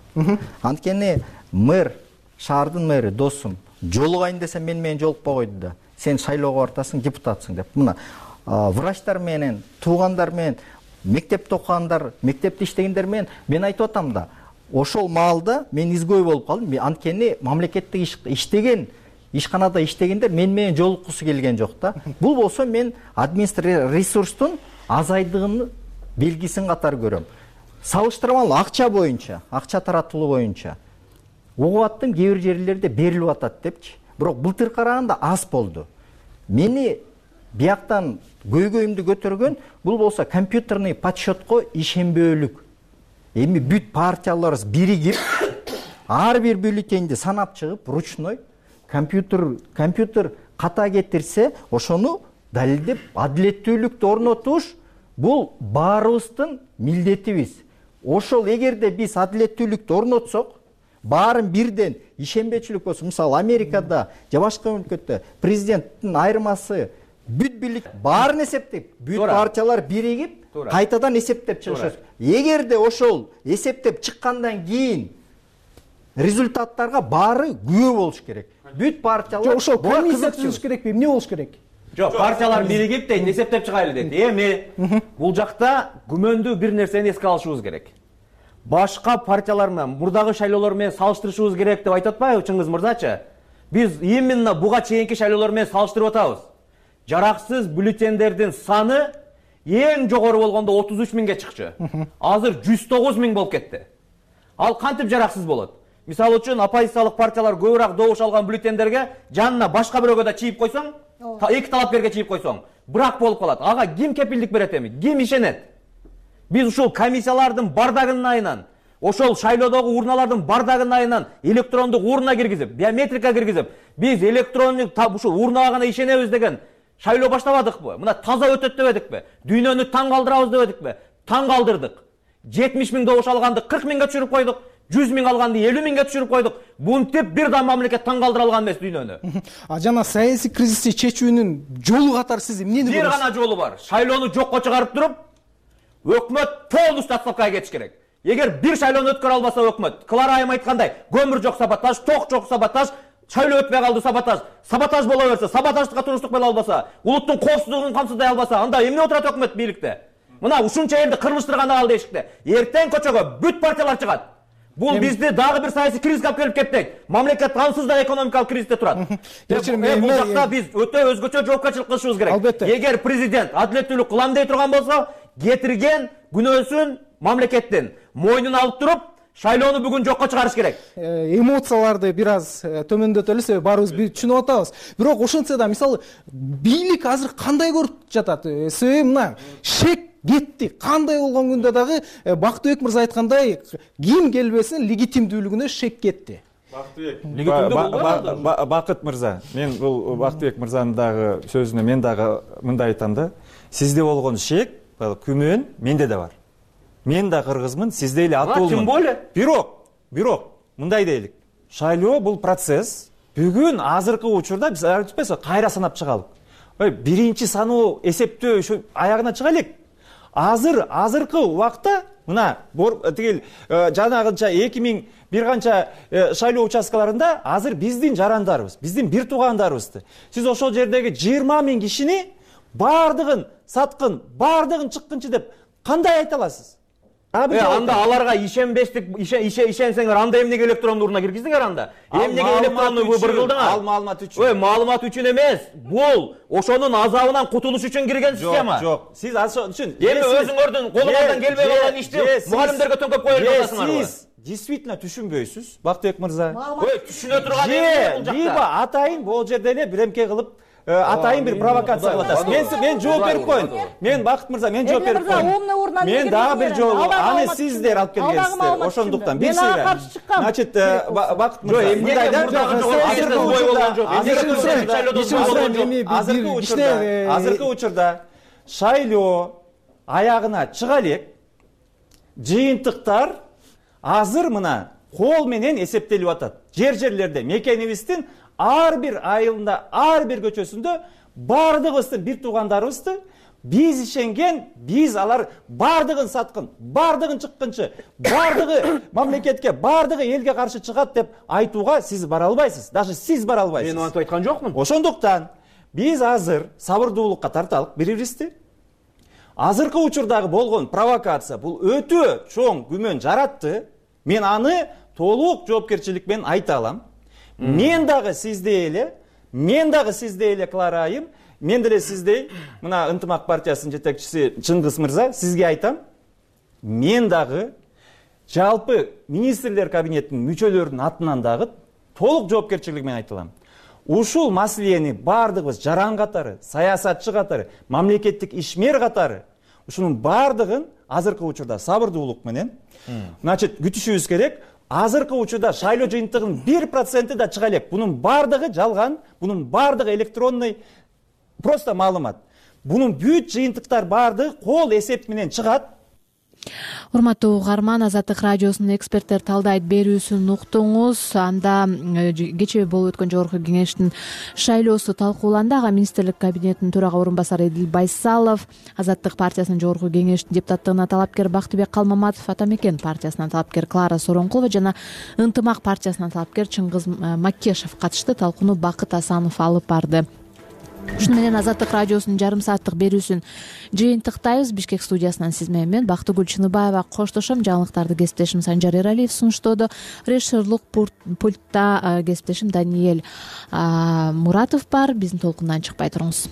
Анткени мэр, шаардын мэри досум, жолугайын десем менен жолукпой койду да. Сен шайлоого бартасың, депутатсың деп. Мына врачтар менен, туугандар менен, мектепте окугандар, мектепте иштегендер менен мен айтып атам да. Ошол маалда мен изгой болуп калдым. Анткени мамлекеттик иштеген, ишканада иштегендер менен жолуккусу келген жок да. Бул болсо мен административдик ресурстун азайдыгынын белгисин катары көрөм. Салыштырмалуу акча боюнча, акча таратылуу боюнча угуп аттым, кээ бир жерлерде берилип атат депчи. Бирок былтыр караганда аз болду. Мени бияктан көйгөйүмдү көтөргөн бул болсо компьютерный подсчетко ишенбөөлүк. эми бүт партияларыбыз биригип ар бир бюллетенди санап чыгып ручной компьютер ката кетирсе ошону далилдеп адилеттүүлүктү орнотуш бул баарыбыздын милдетибиз. Ошол эгерде биз адилеттүүлүктү орнотсок, баарын бирден ишенбечилик болсо, мисалы Америкада же башка өлкөдө президенттин айырмасы бүт бийлик баарын эсептеп, бүт партиялар биригип кайтадан эсептеп чыгышат. Эгерде ошол эсептеп чыккандан кийин результаттарга баары күбө болуш керек. Бүт партиялар ошол комиссия түзүш керекпи, эмне болуш керек? Жок, партиялар биригип дейт, эсептеп чыгайлы дейт. Эми бул жакта күмөндүү бир нерсени эске алышыбыз керек. Башка партиялар менен, мурдагы шайлоолор менен салыштырышыбыз керек деп айтып атпайбы Чыңгыз мырзачы? Биз именно буга чейинки шайлоолор менен салыштырып атабыз. Жараксыз бюллетендердин саны эң жогору болгондо 33 миңге чыкчу. Азыр 109 миң болуп кетти. Ал кантип жараксыз болот? Мисалы үчүн оппозициялык партиялар көбүрөөк добуш алган бюллетендерге жанына башка бирөөгө да чийип койсоң, эки талапкерге чийип койсоң, брак болуп калат. Ага ким кепилдик берет эми? Ким ишенет? Биз ушул комиссиялардын бардагынын айынан, ошол шайлоодогу урналардын бардагынын айынан электрондук урна киргизип, биометрика киргизип, биз электрондук ушул урнага гана ишенебиз деген шайлоо баштабадыкпы? Мына таза өтөт дебедикпи? Дүйнөнү таң калтырабыз дебедикпи? Таң калтырдык. 70 миң добуш алганды 40 миңге түшүрүп койдук. 100 миң алганды 50 миңге түшүрүп койдук. Бунтип бир да мамлекет таң калтыра алган эмес дүйнөнү. Жана саясий кризисти чечүүнүн жолу катары сиз эмнени көрөсүз? Бир гана жолу бар. Шайлоону жокко чыгарып туруп, өкмөт полностью отставкага кетиш керек. Эгер бир шайлоону өткөрө албаса өкмөт, Клара айым айткандай, көмүр жок саботаж, ток жок саботаж, шайлоо өтпөй калды саботаж. Саботаж боло берсе, саботаждыкка туруштук боло албаса, улуттун коопсуздугун камсыздай албаса, анда эмне отурат өкмөт бийликте? Мына ушунча элди кырмыштырган ал дешикте. Эртең көчөгө бүт партиялар чыгат. Бул бизди дагы бир саясий кризиске алып келип кетпейт. Мамлекет ансыз да экономикалык кризисте турат. Бул жакта биз өтө өзгөчө жоопкерчилик кылышыбыз керек. Эгер президент адилеттүүлүк кылам дей турган болсо, кетирген күнөөсүн мамлекеттин мойнуна алып туруп, шайлоону бүгүн жокко чыгарыш керек. Эмоцияларды бир аз төмөндөтөлү, себеби баарыбыз түшүнүп атабыз. Бирок ошентсе да мисалы бийлик азыр кандай көрүп жатат? Себеби мына шек кетти. Кандай болгон күндө дагы Бактыбек мырза айткандай, ким келбесин легитимдүүлүгүнө шек кетти. Бакыт мырза, мен бул Бактыбек мырзанын дагы сөзүнө мен дагы мындай айтам да. Сизде болгон шек, күмөн менде да бар. Мен да кыргызмын, сизде эле атуулмун. Тим более. Бирок, мындай дейлик. Шайлоо бул процесс. Бүгүн азыркы учурда биз кайра санап чыгалык. Биринчи саноо эсептөө ушу аягына чыга элек. Азыркы убакта мына тигил жанагынча 2000 бир канча шайлоо участкаларында азыр биздин жарандарыбыз, биздин бир туугандарыбызды. Сиз ошол жердеги 20 миң кишини бардыгын саткын, бардыгын чыккынчы деп кандай айта аласыз? Анда аларга ишенсеңер, анда эмнеге электрондуу урна киргиздиңер анда? Эмнеге электрондуу выбор кылдыңар? Ал маалымат үчүн. Маалымат үчүн эмес. Бул ошонун азабынан кутулуш үчүн кирген система. Жок. Сиз ошон үчүн эми өзүңөрдүн колуңардан келбей калган ишти мугалимдерге төңкөп коюп жатасыңарбы? Сиз действительно түшүнбөйсүз, Бактыбек мырза. Түшүнө турган эмне бул жакта? Либо атайын бул жерде эле биремке кылып атайын бир провокация кылып атасыз. Мен жооп берип коеюн. Мен Бакыт мырза, мен жооп берип коеюн. Мен дагы бир жолу аны сиздер алып келгенсиздер. Ошондуктан бир сыйра. Значит, Бакыт мырза, мындай да азыркы учурда шайлоо аягына чыга элек. Жыйынтыктар азыр мына кол менен эсептелип атат. Жерлерде мекенибиздин ар бир айылында, ар бир көчөсүндө бардыгыбыздын бир туугандарыбызды биз ишенген, биз алар бардыгын саткын, бардыгын чыккынчы, бардыгы мамлекетке, бардыгы элге каршы чыгат деп айтууга сиз бара албайсыз. Даже сиз бара албайсыз. Мен антип айткан жокмун. Ошондуктан биз азыр сабырдуулукка тарталык бири-бирибизди. Азыркы учурдагы болгон провокация бул өтө чоң күмөн жаратты. Мен аны толук жоопкерчилик менен айта алам. Мен дагы сиздей эле Клара айым, мен деле сиздей мына Ынтымак партиясынын жетекчиси Чыңгыз мырза, сизге айтам. Мен дагы жалпы министрлер кабинетинин мүчөлөрүнүн атынан дагы толук жоопкерчилик менен айта алам. Ушул маселени бардыгыбыз жаран катары, саясатчы катары, мамлекеттик ишмер катары ушунун бардыгын азыркы учурда сабырдуулук менен значит күтүшүбүз керек. Азыркы учурда шайлоо жыйынтыгынын 1% да чыга элек. Бунун бардыгы жалган, бунун бардыгы электронный просто маалымат. Бунун бүт жыйынтыктар бардыгы кол эсеп менен чыгат. Урматтуу угарман, Азаттык радиосунун эксперттер талдайт берүүсүн уктуңуз. Анда кечээ болуп өткөн жогорку кеңештин шайлоосу талкууланды. Ага министрлик кабинетинин төрага орун басары Эдил Байсалов, Азаттык партиясынын жогорку кеңештин депутаттыгына талапкер Бактыбек Калмаматов, Ата Мекен партиясынан талапкер Клара Сооронкулова жана Ынтымак партиясынан талапкер Чыңгыз Маккешев катышты. Талкууну Бакыт Асанов алып барды. Ушуну менен Азаттык радиосунун жарым сааттык берүүсүн жыйынтыктайбыз. Бишкек студиясынан сиз менен мен Бактыгүл Чыныбаева коштошом. Жаңылыктарды кесиптешим Санжар Эралиев сунуштоодо. Режиссерлук пультта кесиптешим Даниэль Муратов бар. Биздин толкундан чыкпай туруңуз.